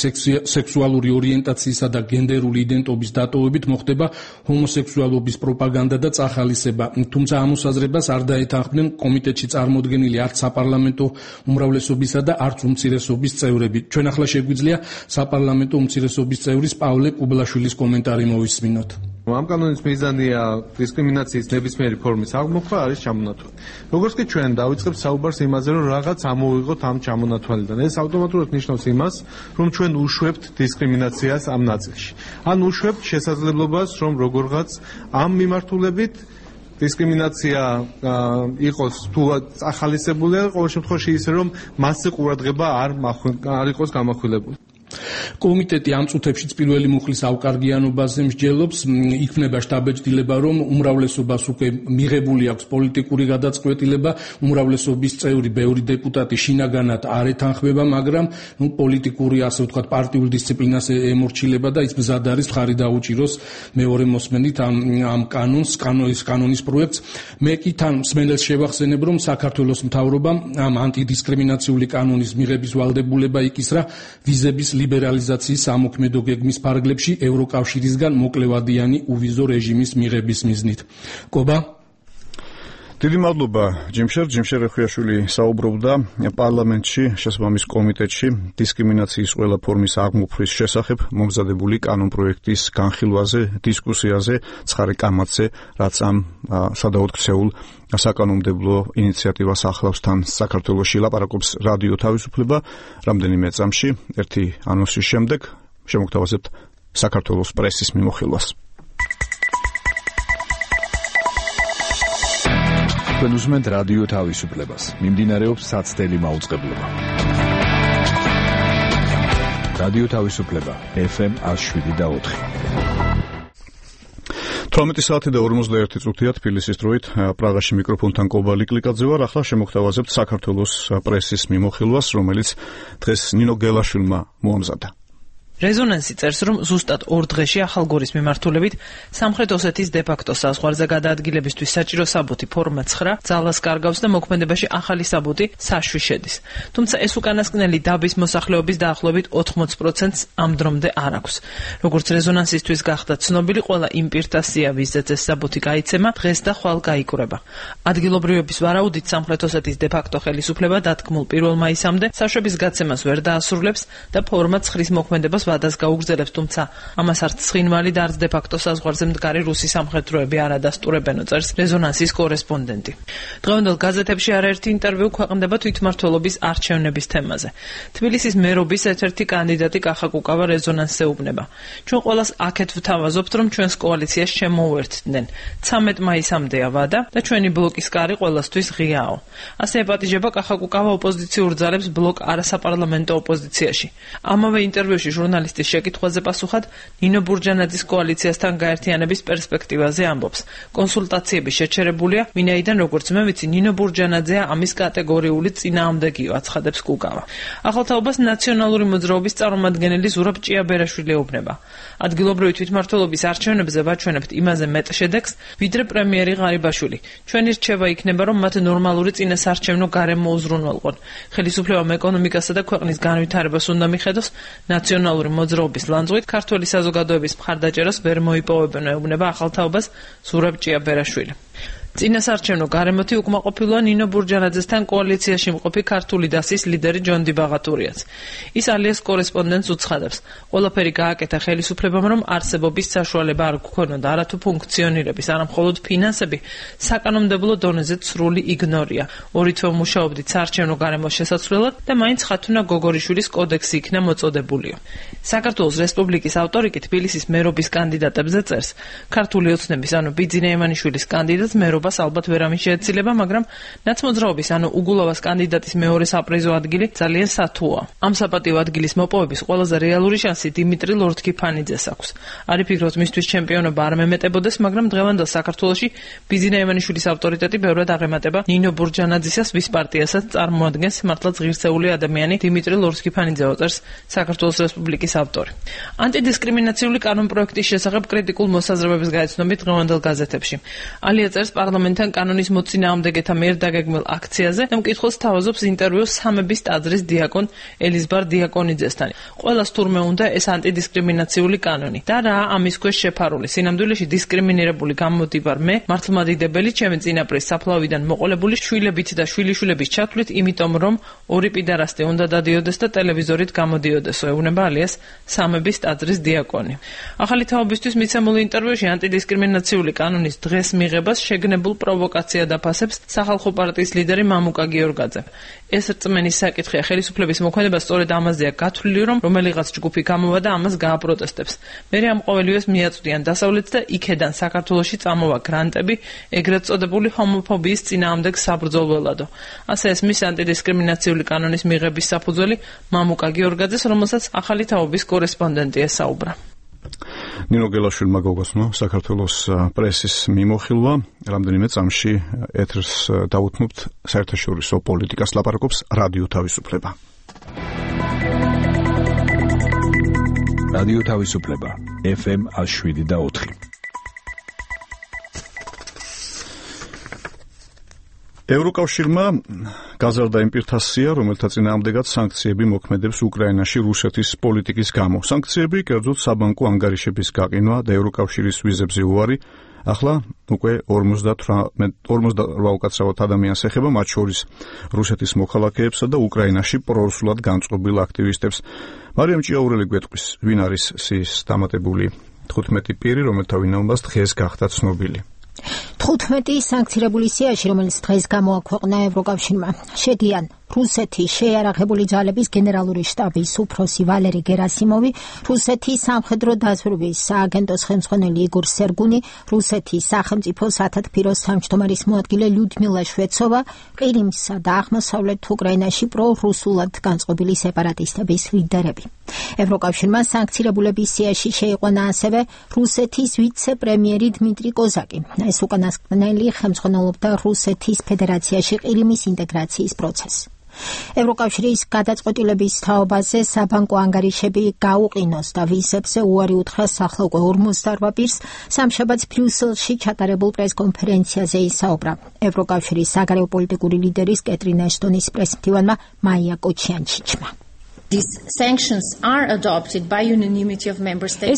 Speaker 6: სექსუალური ორიენტაციისა და გენდერული იდენტობის დატოვებით მოხდება ჰომოსექსუალობის პროპაგანდა და წახალისება. თუმცა ამ მოსაზრებას არ დაეთანხმდნენ კომიტეტში წარმოდგენილი არც საპარლამენტო უმრავლესობისა და არც უმცირესობის წევრები. ჩვენ ახლა შეგვიძლია საპარლამენტო უმცირესობის წევრის პავლე კუბლაშვილის კომენტარი მოვისმინოთ.
Speaker 7: ამ კანონის მიზანია დისკრიმინაციის ნებისმიერი ფორმის აღმოფხვრა არის ჩამონათვალი. როგორც კი ჩვენ დავიწყებთ საუბარს იმაზე, რომ რაღაც ამოვიღოთ ამ ჩამონათვალიდან, ეს ავტომატურად ნიშნავს იმას, რომ ჩვენ უშვებთ დისკრიმინაციას ამ ნაწილში. ან უშვებთ შესაძლებლობას, რომ როგორღაც ამ მიმართულებით დისკრიმინაცია იყოს თუ ახალისებულია, ყოველ შემთხვევაში ისე, რომ მასზე ყურადღება არ არ იყოს გამახვილებული.
Speaker 6: კომიტეტი ამ წუთებშიც პირველი მუხლის ავკარგიანობაზე მსჯელობს, იქნება შტაბეჭდილება, რომ უმრავლესობას უკვე მიღებული აქვს პოლიტიკური გადაწყვეტილება, უმრავლესობის წევრი, ბევრი დეპუტატი შინაგანად არ ეთანხმება, მაგრამ ნუ პოლიტიკური, ასე ვთქვათ, პარტიულ დისციპლინას ემორჩილება და ის მზად არის მხარი დაუჭიროს მეორე მოსმენით ამ ამ კანონს, კანონის კანონის პროექტს. მე კი თან მსმენელს შევახსენებ, რომ საქართველოს მთავრობამ ამ ანტიდისკრიმინაციული კანონის მიღების ვალდებულება იკისრა ვიზების ლიბერალიზაციის ამოქმედო გეგმის ფარგლებში ევროკავშირისგან მოკლევადიანი უვიზო რეჟიმის მიღების მიზნით. კობა
Speaker 1: დიდი მადლობა ჯიმშერ ჯიმშერ ხვიაშვილი საუბრობდა პარლამენტში შესაბამის კომიტეტში დისკრიმინაციის ყველა ფორმის აღმოფხვის შესახებ მომზადებული კანონპროექტის განხილვაზე, დისკუსიაზე, ცხარე კამათზე, რაც ამ სადავოდ ქცეულ საკანონმდებლო ინიციატივას ახლავს თან საქართველოში ლაპარაკობს რადიო თავისუფლება. რამდენიმე წამში ერთი ანონსის შემდეგ შემოგთავაზებთ საქართველოს პრესის მიმოხილვას.
Speaker 13: თქვენ უსმენთ რადიო თავისუფლებას. მიმდინარეობს საცდელი მაუწყებლობა. რადიო თავისუფლება ეფ ემ ათი შვიდი და ოთხი.
Speaker 1: თორმეტი საათი და ორმოცდაერთი წუთია თბილისის დროით პრაღაში მიკროფონთან კობალი კლიკაძე ვარ. ახლა შემოგთავაზებთ საქართველოს პრესის მიმოხილვას, რომელიც დღეს ნინო გელაშვილმა მოამზადა.
Speaker 15: რეზონანსი წერს, რომ ზუსტად ორ დღეში ახალგორის მიმართულებით სამხრეთ ოსეთის დე-ფაქტო საზღვარზე გადაადგილებისთვის საჭირო საბუთი ფორმა ცხრა ძალას კარგავს და მოქმედებაში ახალი საბუთი საშვი შედის. თუმცა ეს უკანასკნელი დაბის მოსახლეობის დაახლოებით ოთხმოცი პროცენტს ამ დრომდე არ აქვს. როგორც რეზონანსისთვის გახდა ცნობილი, ყველა იმ პირთა სია, ვისაც ეს საბუთი გაიცემა, დღეს და ხვალ გაიკვრება. ადგილობრივების ვარაუდით სამხრეთ ოსეთის დე-ფაქტო ხელისუფლება დათქმულ პირველ მაისამდე საშვების გაცემას ვერ დაასრულებს და ფორმა ცხვრის მოქმედებას ვადას გაუგრძელებს, თუმცა ამას არც ცხინვალი და არც დე-ფაქტო საზღვარზე მდგარი რუსი სამხედროები არ ადასტურებენო, წერს რეზონანსის კორესპონდენტი. დღევანდელ გაზეთებში არაერთი ინტერვიუ ქვეყნდება თვითმმართველობის არჩევნების თემაზე. თბილისის მერობის ერთ-ერთი კანდიდატი კახა კუკავა რეზონანსზე უბნება. ჩვენ ყველას აქეთ ვთავაზობთ, რომ ჩვენს კოალიციას შემოუერთდნენ. ცამეტ მაისამდეა ვადა და ჩვენი ბლოკის კარი ყველასთვის ღიაო. ასე ეპატიჟება კახა კუკავა ოპოზიციურ ძალებს ბლოკ არასაპარლამენტო ოპოზიციაში. ამავე ინტერვიუში ჟურნალისტის შეკითხვაზე პასუხად ნინო ბურჯანაძის კოალიციასთან გაერთიანების პერსპექტივაზე ამბობს. კონსულტაციები შეჩერებულია, ვინაიდან როგორც მე ვიცი, ნინო ბურჯანაძეა ამის კატეგორიული წინააღმდეგიო, აცხადებს კუკავა. ახალთაობას ნაციონალური მოძრაობის წარმომადგენელი ზურაბ ჭიაბერაშვილი ეუბნება. ადგილობრივი თვითმმართველობის არჩევნებზე ვაჩვენებთ იმაზე მეტ შედეგს, ვიდრე პრემიერი ღარიბაშვილი. ჩვენი რჩევა იქნება, რომ მათ ნორმალური წინასარჩევნო გარემო უზრუნველყონ. ხელისუფლებამ ეკონომიკასა და ქვეყნის განვითარებას უნდა მიხედოს, ნაციონალური მოძრაობის ლანძღვით ქართველი საზოგადოების მხარდაჭერას ვერ მოიპოვებენ, ეუბნება ახალთაობას ზურაბ ჭიაბერაშვილი. წინასარჩევნო გარემოთი უკმაყოფილოა ნინო ბურჯანაძესთან კოალიციაში მყოფი ქართული დასის ლიდერი ჯონდი ბაღათურიაც. ის ალიას კორესპონდენტს უცხადებს. ყველაფერი გააკეთა ხელისუფლებამ, რომ არსებობის საშუალება არ გქონოდა, არათუ ფუნქციონირების, არა მხოლოდ ფინანსები, საკანონმდებლო დონეზე სრული იგნორია. ორი თვე მუშაობდით საარჩევნო გარემოს შესაცვლელად და მაინც ხათუნა გოგორიშვილის კოდექსი იქნა მოწოდებულიო. საქართველოს რესპუბლიკის ავტორი კი თბილისის მერობის კანდიდატებზე წერს. ქართული ოცნების, ანუ ბიძინა ემანიშვილის კანდიდატს მერობა ალბათ ვერავინ შეეცილება, მაგრამ ნაცმოძრაობის ანუ უგულავას კანდიდატის მეორე საპრიზო ადგილი ძალიან სათუა. ამ საპატიო ადგილის მოპოვების ყველაზე რეალური შანსი დიმიტრი ლორთქიფანიძეს აქვს. არი ფიქრობთ, მისთვის ჩემპიონობა არ მემეტებოდეს, მაგრამ დღევანდელ საქართველოში ბიძინა ემანიშვილის ავტორიტეტი ბევრად აღემატება ნინო ბურჯანაძისას, ვის პარტიასაც წარმოადგენს მართლაც ღირსეული ადამიანი დიმიტრი ლორთქიფანიძე, წერს საქართველოს რესპუბლიკის ავტორი. ანტიდისკრიმინაციული კანონპროექტის შესახებ კრიტიკულ მოსაზრებებს გაეცნობით დღევანდელ გაზეთებში. ალია წერს პარლამენტთან კანონის მოწინააღმდეგეთა მიერ დაგეგმილ აქციაზე და მკითხველს თავაზობს ინტერვიუს სამების ტაძრის დიაკონ ელიზბარ დიაკონიძესთან. ყველას თურმე უნდა ეს ანტიდისკრიმინაციული კანონი და რა ამის ქვეშ შეფარული. სინამდვილეში დისკრიმინირებული გამოდივარ მე, მართლმადიდებელი, ჩემი წინაპრის საფლავიდან მოყოლებული შვილებით და შვილიშვილების ჩათვლით, იმიტომ რომ ორი პიდარასტი უნდა დადიოდეს და ტელევიზორით გამოდიოდეს, ეუბნება ალიას სამების ტაძრის დიაკონი. ახალი თაობისთვის მიცემულ ინტერვიუში ანტიდისკრიმინაციული კანონის დღეს მიღებას შეგნებულ პროვოკაციად აფასებს სახალხო პარტიის ლიდერი მამუკა გიორგაძე. ეს რწმენის საკითხია, ხელისუფლების მოქმედება სწორედ ამაზეა გათვლილი, რომ რომელიღაც ჯგუფი გამოვა და ამას გააპროტესტებს. მერე ამ ყოველივეს მიაწვდიან დასავლეთს და იქედან საქართველოში წამოვა გრანტები ეგრეთ წოდებული ჰომოფობიის წინააღმდეგ საბრძოლველადო. ასე ესმის ანტიდისკრიმინაციული კანონის მიღების საფუძველი მამუკა გიორგაძეს, რომელსაც ახალი თაობის კორესპონდენტი ესაუბრა.
Speaker 1: ნინო გელაშვილმა გოგოსნო საქართველოს პრესის მიმოხილვა რამდენიმე წამში ეთერს დაუთმობთ საერთაშორისო პოლიტიკას ლაპარაკობს რადიო თავისუფლება.
Speaker 13: რადიო თავისუფლება ეფ ემ ათი შვიდი და ოთხი.
Speaker 1: ევროკავშირმა გაზარდა იმ პირთასია, რომელთა წინააღმდეგაც სანქციები მოქმედებს უკრაინაში რუსეთის პოლიტიკის გამო. სანქციები კერძოდ საბანკო ანგარიშების გაყინვა და ევროკავშირის ვიზებზე უარი ახლა უკვე ორმოცდაოთხ უკაცრავად ადამიანს ეხება, მათ შორის რუსეთის მოქალაქეებსა და უკრაინაში პრორუსულად განწყობილ აქტივისტებს. მარიამ ჭიაურელი გვეტყვის, ვინ არის სიის დამატებული თხუთმეტი პირი, რომელთა ვინაობას დღეს გახდა ცნობილი.
Speaker 2: თხუთმეტი სანქცირებული სიაში, რომელიც დღეს გამოაქვეყნა ევროკავშირმა, შედიან რუსეთის შეიარაღებული ძალების გენერალური შტაბის უფროსი ვალერი გერასიმოვი, რუსეთის სამხედრო დაზვერვის სააგენტოს ხელმძღვანელი იგორ სერგუნი, რუსეთის სახელმწიფო სათათბიროს თავმჯდომარის მოადგილე ლიუდმილა შვეცოვა, ყირიმსა და აღმოსავლეთ უკრაინაში პრორუსულად განწყობილი სეპარატისტების ლიდერები. ევროკავშირმა სანქცირებულების სიაში შეიყვანა ასევე რუსეთის ვიცე-პრემიერი დმიტრი კოზაკი. ეს უკანასკნელი ხელმძღვანელობდა რუსეთის ფედერაციაში ყირიმის ინტეგრაციის პროცესს. ევროკავშირის გადაწყვეტილების თაობაზე საბანკო ანგარიშები გაუყინოს და ვიზებზე უარი უთხრა ახლა უკვე ორმოცდაოთხ პირს სამშაბათს ბრიუსელში ჩატარებულ პრესკონფერენციაზე ისაუბრა ევროკავშირის საგარეო პოლიტიკური ლიდერის კეტრინ ეშტონის პრესმდივანმა მაია კოჩიანჩიჩმა.
Speaker 4: ეს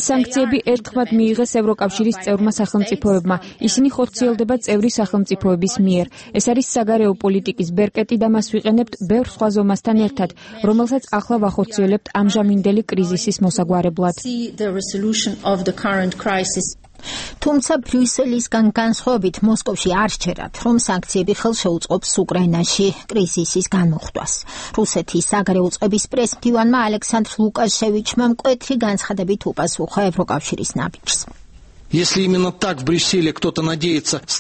Speaker 4: სანქციები ერთხმად მიიღეს ევროკავშირის წევრმა სახელმწიფოებმა. ისინი ხორციელდება წევრი სახელმწიფოების მიერ. ეს არის საგარეო პოლიტიკის ბერკეტი და მას ვიყენებთ ბევრ სხვა ზომასთან ერთად, რომელსაც ახლა ვახორციელებთ ამჟამინდელი კრიზისის მოსაგვარებლად.
Speaker 2: თუმცა ბრიუსელისგან განსხვავებით მოსკოვში არ სჯერათ, რომ სანქციები ხელს შეუწყობს უკრაინაში კრიზისის განმოხტვას. რუსეთის საგარეო წყების პრესმდივანმა ალექსანდრ ლუკაშევიჩმა მკვეთრი განცხადებით უპასუხა ევროკავშირის ნაბიჯს.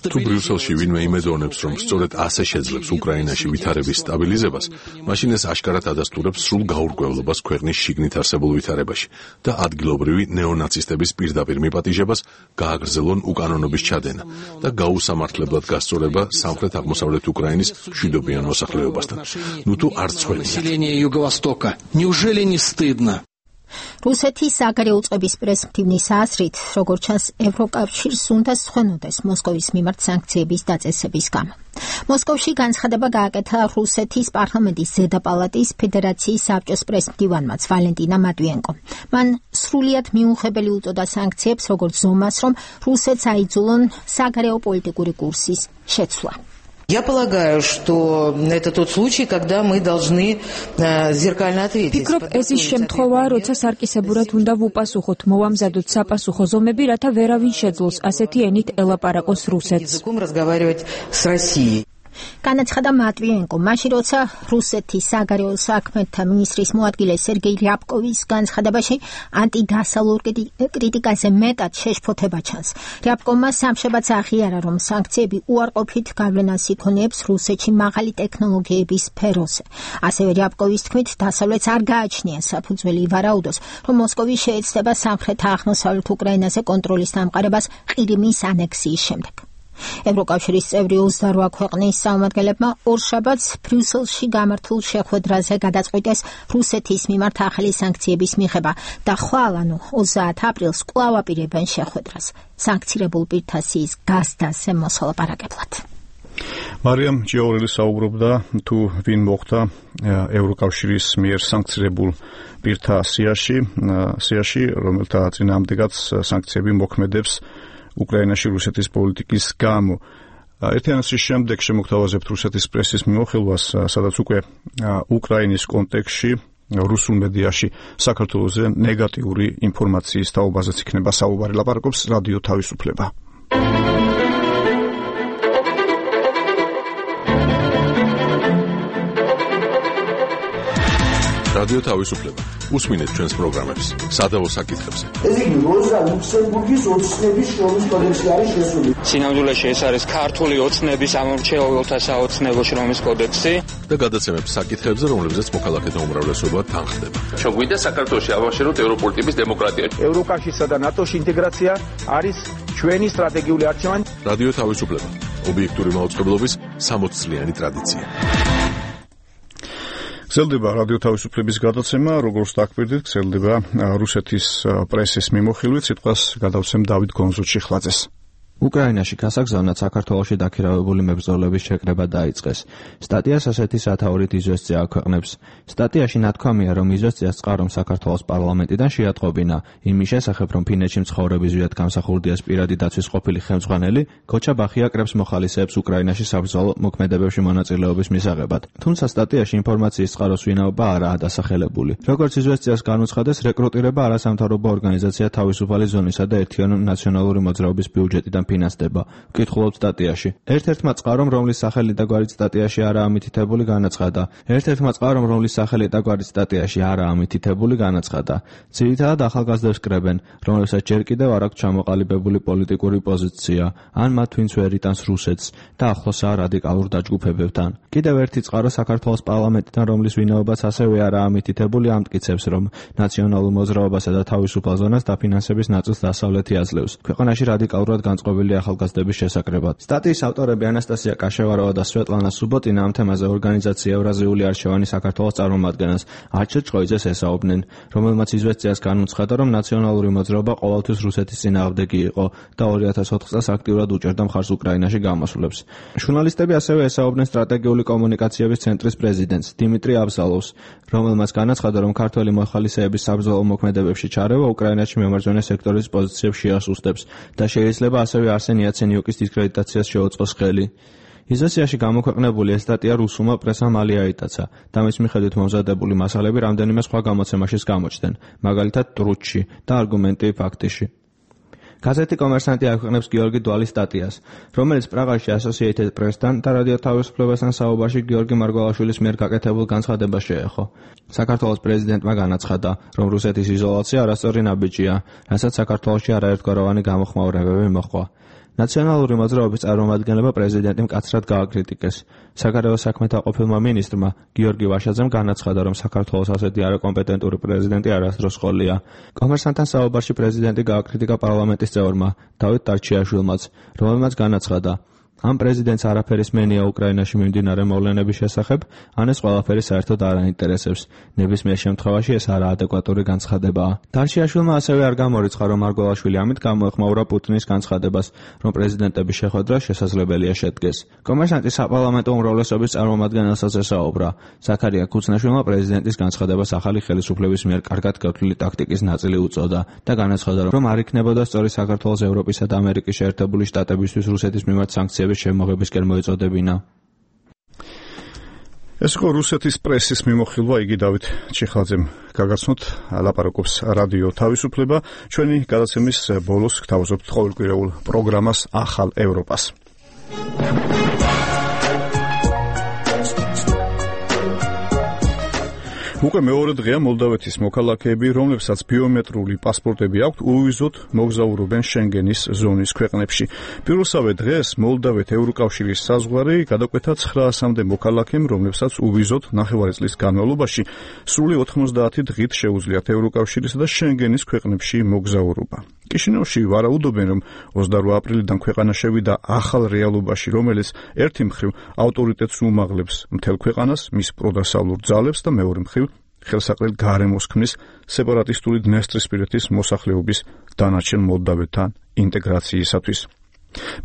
Speaker 17: თუ ბრიუსელში ვინმე იმედოვნებს, რომ სწორედ ასე შეძლებს უკრაინაში ვითარების სტაბილიზებას, მაშინ ეს აშკარად ადასტურებს სრულ გაურკვევლობას ქვეყნის შიგნით არსებულ ვითარებაში და ადგილობრივი ნეონაცისტების პირდაპირ მიპატიჟებას, გააგრძელონ უკანონობის ჩადენა და გაუსამართლებლად გასწორება სამხრეთ-აღმოსავლეთ უკრაინის მშვიდობიან მოსახლეობასთან. ნუ თუ არ ცხვენია.
Speaker 2: რუსეთის საგარეო წყების პრესმდივნის აზრით, როგორც ჩანს, ევროკავშირს უნდა სხვენოდეს მოსკოვის მიმართ სანქციების დაწესების გამო. მოსკოვში განცხადება გააკეთა რუსეთის პარლამენტის ზედა პალატის ფედერაციის საბჭოს პრესმდივანმაც ვალენტინა მატვიენკომ. მან სრულიად მიუღებელი უწოდა სანქციებს, როგორც ზომას, რომ რუსეთს აიძულონ საგარეო პოლიტიკური კურსის შეცვლა.
Speaker 18: Я полагаю, что это тот случай, когда мы должны зеркально ответить.
Speaker 4: Ფიქრობ, ეს ის შემთხვევაა, როცა სარკისებურად უნდა ვუპასუხოთ, მოვამზადოთ საპასუხო ზომები, რათა ვერავინ შეძლოს ასეთი ენით ელაპარაკოს რუსეთს.
Speaker 2: განაცხადა მატვიენკო, მაშინ როცა რუსეთის საგარეო საქმეთა მინისტრის მოადგილე სერგეი რიაბკოვის განცხადებაში ანტიდასავლურ კრიტიკაზე მეტად შეშფოთება ჩანს. რიაბკოვმა სამშაბათს აღიარა, რომ სანქციები უარყოფით გავლენას იქონიებს რუსეთში მაღალი ტექნოლოგიების სფეროზე. ასევე რიაბკოვის თქმით, დასავლეთს არ გააჩნია საფუძველი ივარაუდოს, რომ მოსკოვი შეეცდება სამხრეთ-აღმოსავლეთ უკრაინაზე კონტროლის დამყარებას ყირიმის ანექსიის შემდეგ. ევროკავშირის წევრი ოცდაოთხ ქვეყნის წარმომადგენლებმა ორშაბათს ბრიუსელში გამართულ შეხვედრაზე გადაწყვიტეს რუსეთის მიმართ ახალი სანქციების მიღება და ხვალ ანუ ოცდაათი აპრილს კვლავ აპირებენ შეხვედრას სანქცირებულ პირთასის გაზდაზე მოსალაპარაკებლად.
Speaker 1: მარიამ ჯიაურელი საუბრობდა თუ ვინ მოხდა ევროკავშირის მიერ სანქცირებულ პირთა სიაში, სიაში, რომელთა წინააღმდეგაც სანქციები მოქმედებს უკრაინაში რუსეთის პოლიტიკის გამო. ერთიანობის შემდეგ შემოგთავაზებთ რუსეთის პრესის მიმოხილვას, სადაც უკვე უკრაინის კონტექსტში რუსულ მედიაში საქართველოზე ნეგატიური ინფორმაციის თაობაზეც იქნება საუბარი. ლაპარაკობს რადიო თავისუფლება.
Speaker 17: რადიო თავისუფლება. უსმინეთ ჩვენს პროგრამებს სადავო საკითხებზე.
Speaker 12: ეს იგი როზა ლუქსემბურგის ოცნების შრომის კოდექსი არის შესული.
Speaker 19: სინამდვილეში ეს არის ქართული ოცნების ამორჩეულთა საოცნებო შრომის კოდექსი
Speaker 17: და გადაცემებს საკითხებზე, რომლებზეც მოქალაქეთა უმრავლესობა თანხდება.
Speaker 20: ჩოგვიდა საქართველოში ავაშეროთ ევროპული ტიპის დემოკრატია.
Speaker 21: ევროკავშირსა და ნატოში ინტეგრაცია არის ჩვენი სტრატეგიული არჩევანი.
Speaker 17: რადიო თავისუფლება. ობიექტური მაუწყებლობის სამოცი წლიანი ტრადიცია.
Speaker 1: გრძელდება რადიო თავისუფლების გადაცემა, როგორც დაგკვირდით, გრძელდება რუსეთის პრესის მიმოხილვით, სიტყვას გადავცემ დავით გონზუჩიხლაძეს.
Speaker 24: უკრაინაში გასაგზავნად საქართველოში დაქირავებული მებრძოლების შეკრება დაიწყეს. სტატიას ასეთი სათაურით იზვესწია აქვეყნებს. სტატიაში ნათქვამია, რომ იზვესწიას წყარომ საქართველოს პარლამენტიდან შეატყობინა იმის შესახებ, რომ ფინეთში მცხოვრები ზვიად გამსახურდიას პირადი დაცვის ყოფილი ხელმძღვანელი გოჩა ბახიაკრებს მოხალისეებს უკრაინაში საბრძოლო მოქმედებებში მონაწილეობის მისაღებად. თუმცა სტატიაში ინფორმაციის წყაროს ვინაობა არაა დასახელებული. როგორც იზვესწიას განუცხადეს, რეკრუტირება არასამთავრობო ორგანიზაცია თავისუფალი ზონისა და ერთიანი ნაციონალური მოძრაობის ბიუჯეტიდან ფინანსდება. ვკითხულობთ სტატიაში. ერთ-ერთმა წყარომ, რომლის სახელი და გვარით სტატიაში არაა მითითებული, განაცხადა. ერთ-ერთმა წყარომ, რომლის სახელი და გვარით სტატიაში არაა მითითებული, განაცხადა. ძირითადად ახალგაზრდებს კრებენ, რომლებსაც ჯერ კიდევ არ აქვს ჩამოყალიბებული პოლიტიკური პოზიცია, ან მათ ვინც ვერ იტანს რუსეთს და ახლოსაა რადიკალურ დაჯგუფებებთან. კიდევ ერთი წყარო საქართველოს პარლამენტიდან, რომლის ვინაობაც ასევე არაა მითითებული, ამტკიცებს, რომ ნაციონალურ მოძრაობასა და თავისუფალ ზონას დაფინანსების ნაწილს დასავლეთი აძლევს. ქვეყანაში რადიკალურად განწყობილი ახალგაზრდების შესაკრებად. სტატიის ავტორები ანასტასია კაშევაროვა და სვეტლანა სუბოტინა ამ თემაზე ორგანიზაცია ევრაზიული არჩევანი საქართველოს წარმომადგენელს არჩილ ჭყოიძეს ესაუბნენ, რომელმაც იზვესწიას განუცხადა, რომ ნაციონალური მოძრაობა ყოველთვის რუსეთის წინააღმდეგი იყო და ორი ათას ოთხ წელს აქტიურად უჭერდა მხარს უკრაინაში გამოსვლებს. ჟურნალისტები ასევე ესაუბნენ სტრატეგიული კომუნიკაციების ცენტრის პრეზიდენტს დიმიტრი აბზალოვს, რომელმაც განაცხადა, რომ ქართველი მოხალისეების საბრძოლო მოქმედებებში ჩარევა უკრაინაში მემარჯვენე სექტორის პოზიციებს შეასუსტებს და შეიძლება ასევე არსენ იაცენიუკის დისკრედიტაციას შეუწყოს ხელი. იზვესტიაში გამოქვეყნებული ეს სტატია რუსულმა პრესამ მალე აიტაცა და მის მიხედვით მომზადებული მასალები რამდენიმე სხვა გამოცემაშიც გამოჩნდნენ, მაგალითად ტრუჩში და არგუმენტი ფაქტიში. გაზეთი კომერსანტი აქვეყნებს გიორგი დვალის სტატიას, რომელიც პრაღაში Associated Press-თან და რადიო თავისუფლებასთან საუბარში გიორგი მარგველაშვილის მიერ გაკეთებულ განცხადებას შეეხო. საქართველოს პრეზიდენტმა განაცხადა, რომ რუსეთის იზოლაცია არასწორი ნაბიჯია, რასაც საქართველოში არაერთგვაროვანი გამოხმაურებები მოჰყვა. ნაციონალური მოძრაობის წარმომადგენლება პრეზიდენტი მკაცრად გააკრიტიკეს. საგარეო საქმეთა ყოფილმა მინისტრმა გიორგი ვაშაძემ განაცხადა, რომ საქართველოს ასეთი არაკომპეტენტური პრეზიდენტი არასდროს ყოლია. კომერსანტთან საუბარში პრეზიდენტი გააკრიტიკა პარლამენტის წევრმა დავით ტარჩიაშვილმაც, რომელმაც განაცხადა, ამ პრეზიდენტს არაფერი სმენია უკრაინაში მიმდინარე მოვლენების შესახებ, ან ეს ყველაფერი საერთოდ არ აინტერესებს. ნებისმიერ შემთხვევაში ეს არაადეკვატური განცხადებაა. ტარჩიაშვილმა ასევე არ გამორიცხა, რომ მარგველაშვილი ამით გამოეხმაურა პუტინის განცხადებას, რომ პრეზიდენტების შეხვედრა შესაძლებელია შედგეს. კომერსანტის საპარლამენტო უმრავლესობის წარმომადგენელსაც ესაუბრა. ზაქარია ქუცნაშვილმა პრეზიდენტის განცხადებას ახალი ხელისუფლების მიერ კარგად გათვლილი ტაქტიკის ნაწილი უწოდა და განაცხადა, რომ არ იქნებოდა სწორი საქართველოს ევროპისა და ამერიკის შეერთებული შტატებისთვის რუსეთის მიმართ სანქციები შემოღებისკენ მოეწოდებინა.
Speaker 1: ეს იყო რუსეთის პრესის მიმოხილვა, იგი დავით ჩიხლაძემ გაგაცნოთ, ლაპარაკობს რადიო თავისუფლება. ჩვენი გადაცემის ბოლოს გთავაზობთ ყოველკვირეულ პროგრამას ახალ ევროპას. უკვე მეორე დღეა მოლდავეთის მოქალაქეები, რომლებსაც ბიომეტრიული პასპორტები აქვთ, უვიზოდ მოგზაურობენ შენგენის ზონის ქვეყნებში. პირველსავე დღეს მოლდავეთ ევროკავშირის საზღვარი გადაკვეთა ცხრაასამდე მოქალაქემ, რომლებსაც უვიზოდ ნახევარი წლის განმავლობაში სრული ოთხმოცდაათი დღით შეუძლიათ ევროკავშირისა და შენგენის ქვეყნებში მოგზაურობა. კიშინევში ვარაუდობენ, რომ ოცდაორი აპრილიდან ქვეყანა შევიდა ახალ რეალობაში, რომელიც ერთი მხრივ ავტორიტეტს უმაღლებს მთელ ქვეყანას, მის პროდასავლურ ძალებს და მეორე მხრივ ხელსაყრელ გარემოს ქმნის სეპარატისტული დნესტრისპირეთის მოსახლეობის დანარჩენ მოლდავეთთან ინტეგრაციისათვის.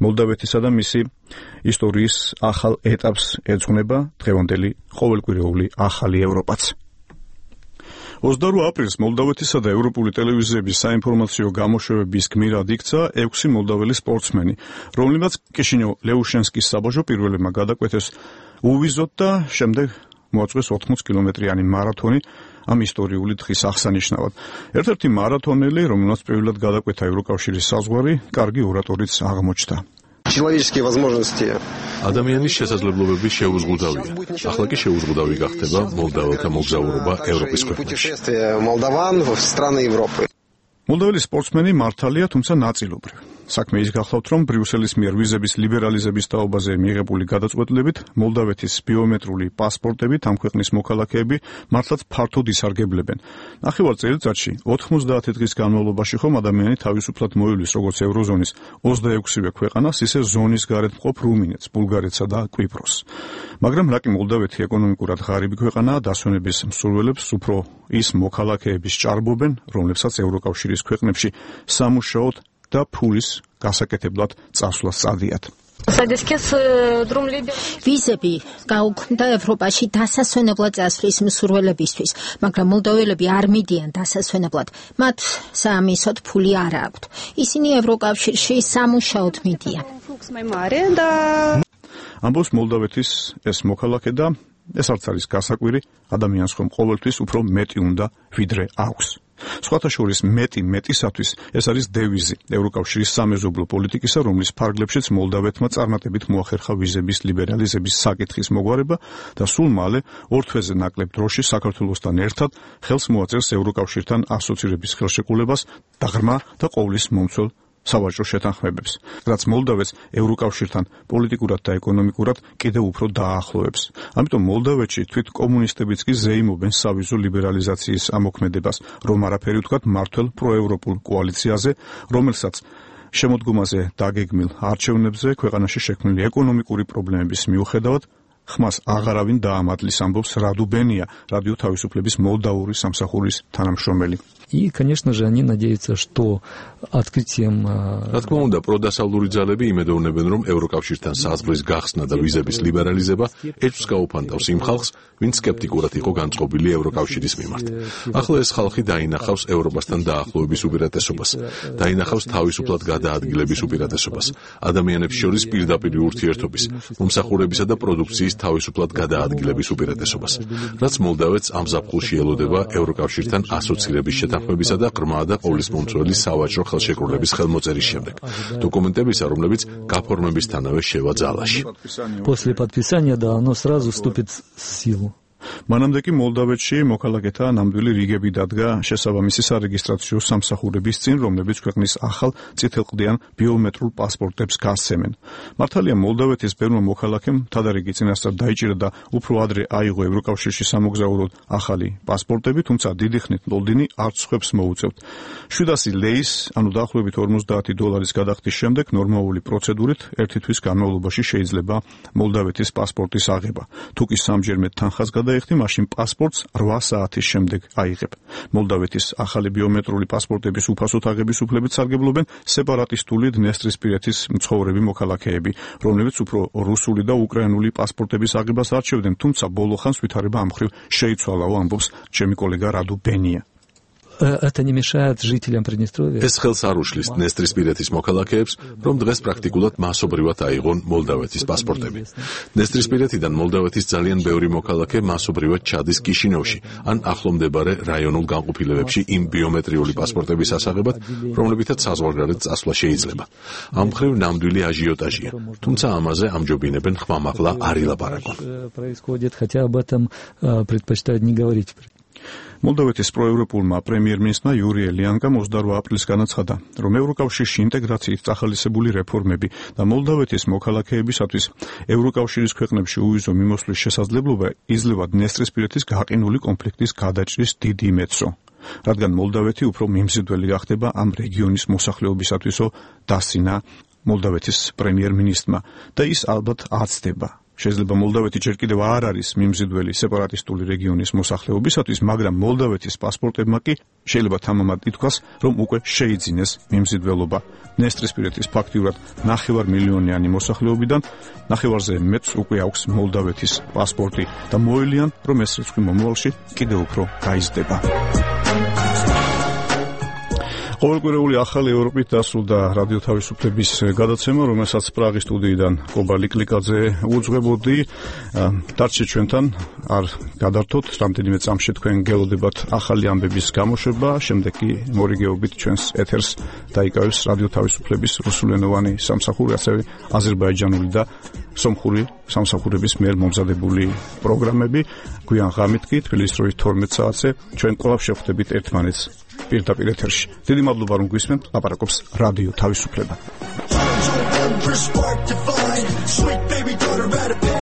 Speaker 1: მოლდავეთისა და მისი ისტორიის ახალ ეტაპს ეძღვნება დღევანდელი ყოველკვირეული ახალი ევროპაც. ოცდაორი აპრილს მოლდავეთისა და ევროპული ტელევიზიების საინფორმაციო გამოშვებების გმირად იქცა ექვსი მოლდაველი სპორტსმენი, რომლებმაც კიშინევ-ლეუშენსკის საბაჟო პირველებმა გადაკვეთეს უვიზოთ და შემდეგ მოაწყვეს ოთხმოცი კილომეტრიანი მარათონი ამ ისტორიული დღის აღსანიშნავად. ერთ-ერთი მარათონელი, რომელმაც პირველად გადაკვეთა ევროკავშირის საზღვარი, კარგი ორატორიც აღმოჩნდა.
Speaker 3: Человеческие возможности.
Speaker 17: ადამიანის შესაძლებლობები შეუზღუდავია. ახლა კი შეუზღუდავი გახდება მოლდაველთა მოგზაურობა ევროპის ქვეყნებში.
Speaker 3: Молдаван в страны Европы.
Speaker 1: მოლდაველი სპორტსმენი მართალია, თუმცა ნაწილობრივ. საქმე ის გახლავთ, რომ ბრიუსელის მიერ ვიზების ლიბერალიზების თაობაზე მიღებული გადაწყვეტილებით მოლდავეთის ბიომეტრიული პასპორტებით ამ ქვეყნის მოქალაქეები მართლაც ფართოდ ისარგებლებენ. ნახევარ წელიწადში ოთხმოცდაათი დღის განმავლობაში ხომ ადამიანი თავისუფლად მოივლის როგორც ევროზონის ოცდაექვსივე ქვეყანას, ისე ზონის გარეთ მყოფ რუმინეთს, ბულგარეთსა და კვიპროსს. მაგრამ რა კი მოლდავეთი ეკონომიკურად ღარიბი ქვეყანაა, დასვენების მსურველებს უფრო ის მოქალაქეების ჭარბობენ, რომლებსაც ევროკავშირის ქვეყნებში სამუშაოდ და ფულის გასაკეთებლად წასვლა სწადიათ.
Speaker 2: ვიზები გაუქმდა ევროპაში დასასვენებლად წასვლის მსურველებისთვის, მაგრამ მოლდოველები არ მიდიან დასასვენებლად. მათ საამისოდ ფული არ აქვთ. ისინი ევროკავშირში სამუშაოდ მიდიან.
Speaker 1: ამბობს მოლდავეთის ეს მოქალაქე და ეს არც არის გასაკვირი, ადამიანს ხომ ყოველთვის უფრო მეტი უნდა, ვიდრე აქვს. სხვათა შორის მეტი მეტისათვის ეს არის დევიზი ევროკავშირის სამეზობლო პოლიტიკისა, რომლის ფარგლებშიც მოლდავეთმა წარმატებით მოახერხა ვიზების ლიბერალიზების საკითხის მოგვარება და სულ მალე ორ თვეზე ნაკლებ დროში საქართველოსთან ერთად ხელს მოაწერს ევროკავშირთან ასოცირების ხელშეკრულებას და ღრმა და ყოვლის მომცველ სავაჭრო შეთანხმებებს, რაც მოლდავეთს ევროკავშირთან პოლიტიკურად და ეკონომიკურად კიდევ უფრო დაახლოებს. ამიტომ მოლდავეთში თვით კომუნისტებიც კი ზეიმობენ სავიზო ლიბერალიზაციის ამოქმედებას, რომ არაფერი ვთქვათ მართლ პროევროპულ კოალიციაზე, რომელსაც შემოდგომაზე დაგეგმილ არჩევნებზე ქვეყანაში შექმნილი ეკონომიკური პრობლემების მიუხედავად ხმას აღარავინ დაამატლის, ამბობს რადუ ბენია, რადიო თავისუფლების მოლდავური სამსახურის თანამშრომელი.
Speaker 5: И, конечно же, они надеются, что открытием...
Speaker 17: რა თქმა უნდა, პროდასავლური ძალები იმედოვნებენ, რომ ევროკავშირთან საზღვრის გახსნა და ვიზების ლიბერალიზება ეჭვს გაუფანტავს იმ ხალხს, ვინც სკეპტიკურად იყო განწყობილი ევროკავშირის მიმართ. ახლა ეს ხალხი დაინახავს ევროპასთან დაახლოების უპირატესობას, დაინახავს თავისუფლად გადაადგილების უპირატესობას, ადამიანებს შორის პირდაპირ ურთიერთობის, მომსახურებისა და პროდუქციის თავისუფლად გადაადგილების უპირატესობას, რაც მოლდავეთს ამ ზაფხულში ელოდება ევროკავშირთან ასოცირების შეთანხმებისა და ღრმა და ყოვლის მომცველი სავაჭრო ხელშეკრულების ხელმოწერის შემდეგ, დოკუმენტებისა, რომლებიც გაფორმებისთანავე შევა ძალაში.
Speaker 5: После подписания, да, оно сразу вступит в силу.
Speaker 1: მანამდე კი მოლდავეთში მოქალაქეთა ნამდვილი რიგები დადგა შესაბამისი სარეგისტრაციო სამსახურების წინ, რომლებიც ქვეყნის ახალ წითელყდიან ბიომეტრულ პასპორტებს გასცემენ. მართალია მოლდავეთის ბევრმა მოქალაქემ თადარიგი წინასწარ დაიჭირა და უფრო ადრე აიღო ევროკავშირში სამოგზაუროდ ახალი პასპორტები, თუმცა დიდი ხნით ლონდონი არც ხვებს მოუწევთ. შვიდასი ლეის, ანუ დაახლოებით ორმოცდაათი დოლარის გადახდის შემდეგ ნორმალური პროცედურით ერთი თვის განმავლობაში შეიძლება მოლდავეთის პასპორტის აღება. თუ კი სამჯერმე თანხას დაიხდი, მაშინ პასპორტს რვა საათის შემდეგ აიღებ. მოლდავეთის ახალი ბიომეტრული პასპორტების უფასოდ აღების უფლებით სარგებლობენ სეპარატისტული დნესტრისპირეთის მცხოვრები მოქალაქეები, რომლებიც უფრო რუსული და უკრაინული პასპორტების აღებას არჩევდნენ, თუმცა ბოლო ხანს ვითარება ამ მხრივ შეიცვალაო, ამბობს ჩემი კოლეგა რადუ ბენია.
Speaker 5: Это не мешает жителям Приднестровья.
Speaker 17: ეს ხელს არ უშლის დნესტრისპირეთის მოქალაქეებს, რომ დღეს პრაქტიკულად მასობრივად აიღონ მოლდავეთის პასპორტები. დნესტრისპირეთიდან მოლდავეთის ძალიან ბევრი მოქალაქე მასობრივად ჩადის კიშინევში, ან ახლომდებარე რაიონულ განყოფილებებში იმ ბიომეტრიული პასპორტების ასაღებად, რომლებითაც საზღვარგარეთ წასვლა შეიძლება. ამ მხრივ ნამდვილი აჟიოტაჟია, თუმცა ამაზე ამჯობინებენ ხმამაღლა არ ილაპარაკონ.
Speaker 5: Происходит, хотя об этом предпочитают не говорить.
Speaker 1: მოლდავეთის პროევროპულმა პრემიერ-მინისტრმა იური ელიანკამ ოცდაორი აპრილის განაცხადა, რომ ევროკავშირში ინტეგრაციით წახალისებული რეფორმები და მოლდავეთის მოქალაქეებისათვის ევროკავშირის ქვეყნებში უვიზო მიმოსვლის შესაძლებლობა იძლევა დნესტრისპირეთის გაყინული კონფლიქტის გადაჭრის დიდ იმედსო. რადგან მოლდავეთი უფრო მიმზიდველი გახდება ამ რეგიონის მოსახლეობისათვისო დასინა მოლდავეთის პრემიერ-მინისტრმა და ის ალბათ აცდება. შეიძლება მოლდავეთი ჯერ კიდევ არ არის მიმზიდველი სეპარატისტული რეგიონის მოსახლეობისათვის, მაგრამ მოლდავეთის პასპორტებმა კი შეიძლება თამამად ითქვას, რომ უკვე შეიძინეს მიმზიდველობა. ნესტრისპირეთის ფაქტიურად ნახევარ მილიონიანი მოსახლეობიდან ნახევარზე მეტს უკვე აქვს მოლდავეთის პასპორტი და მოელიან, რომ ეს რიცხვი მომავალში კიდევ უფრო გაიზრდება. ყოველკვირეული ახალი ევროპით დასრულდა რადიო თავისუფლების გადაცემა, რომელსაც პრაღის სტუდიიდან კობა ლიკლიკაძე უძღვებოდი. დარჩეთ ჩვენთან, არ გადართოთ, რამდენიმე წამში თქვენ გელოდებათ ახალი ამბების გამოშვება, შემდეგ კი მორიგეობით ჩვენს ეთერს დაიკავებს რადიო თავისუფლების რუსულენოვანი სამსახური, ასევე აზერბაიჯანული და სომხური სამსახურების მიერ მომზადებული პროგრამები. გვიან ღამით კი თბილისის დროით თორმეტ საათზე ჩვენ კვლავ შევხვდებით ერთმანეთს პირდაპირ ეთერში. დიდი მადლობა რომ გვისმენთ, ლაპარაკობს რადიო თავისუფლება.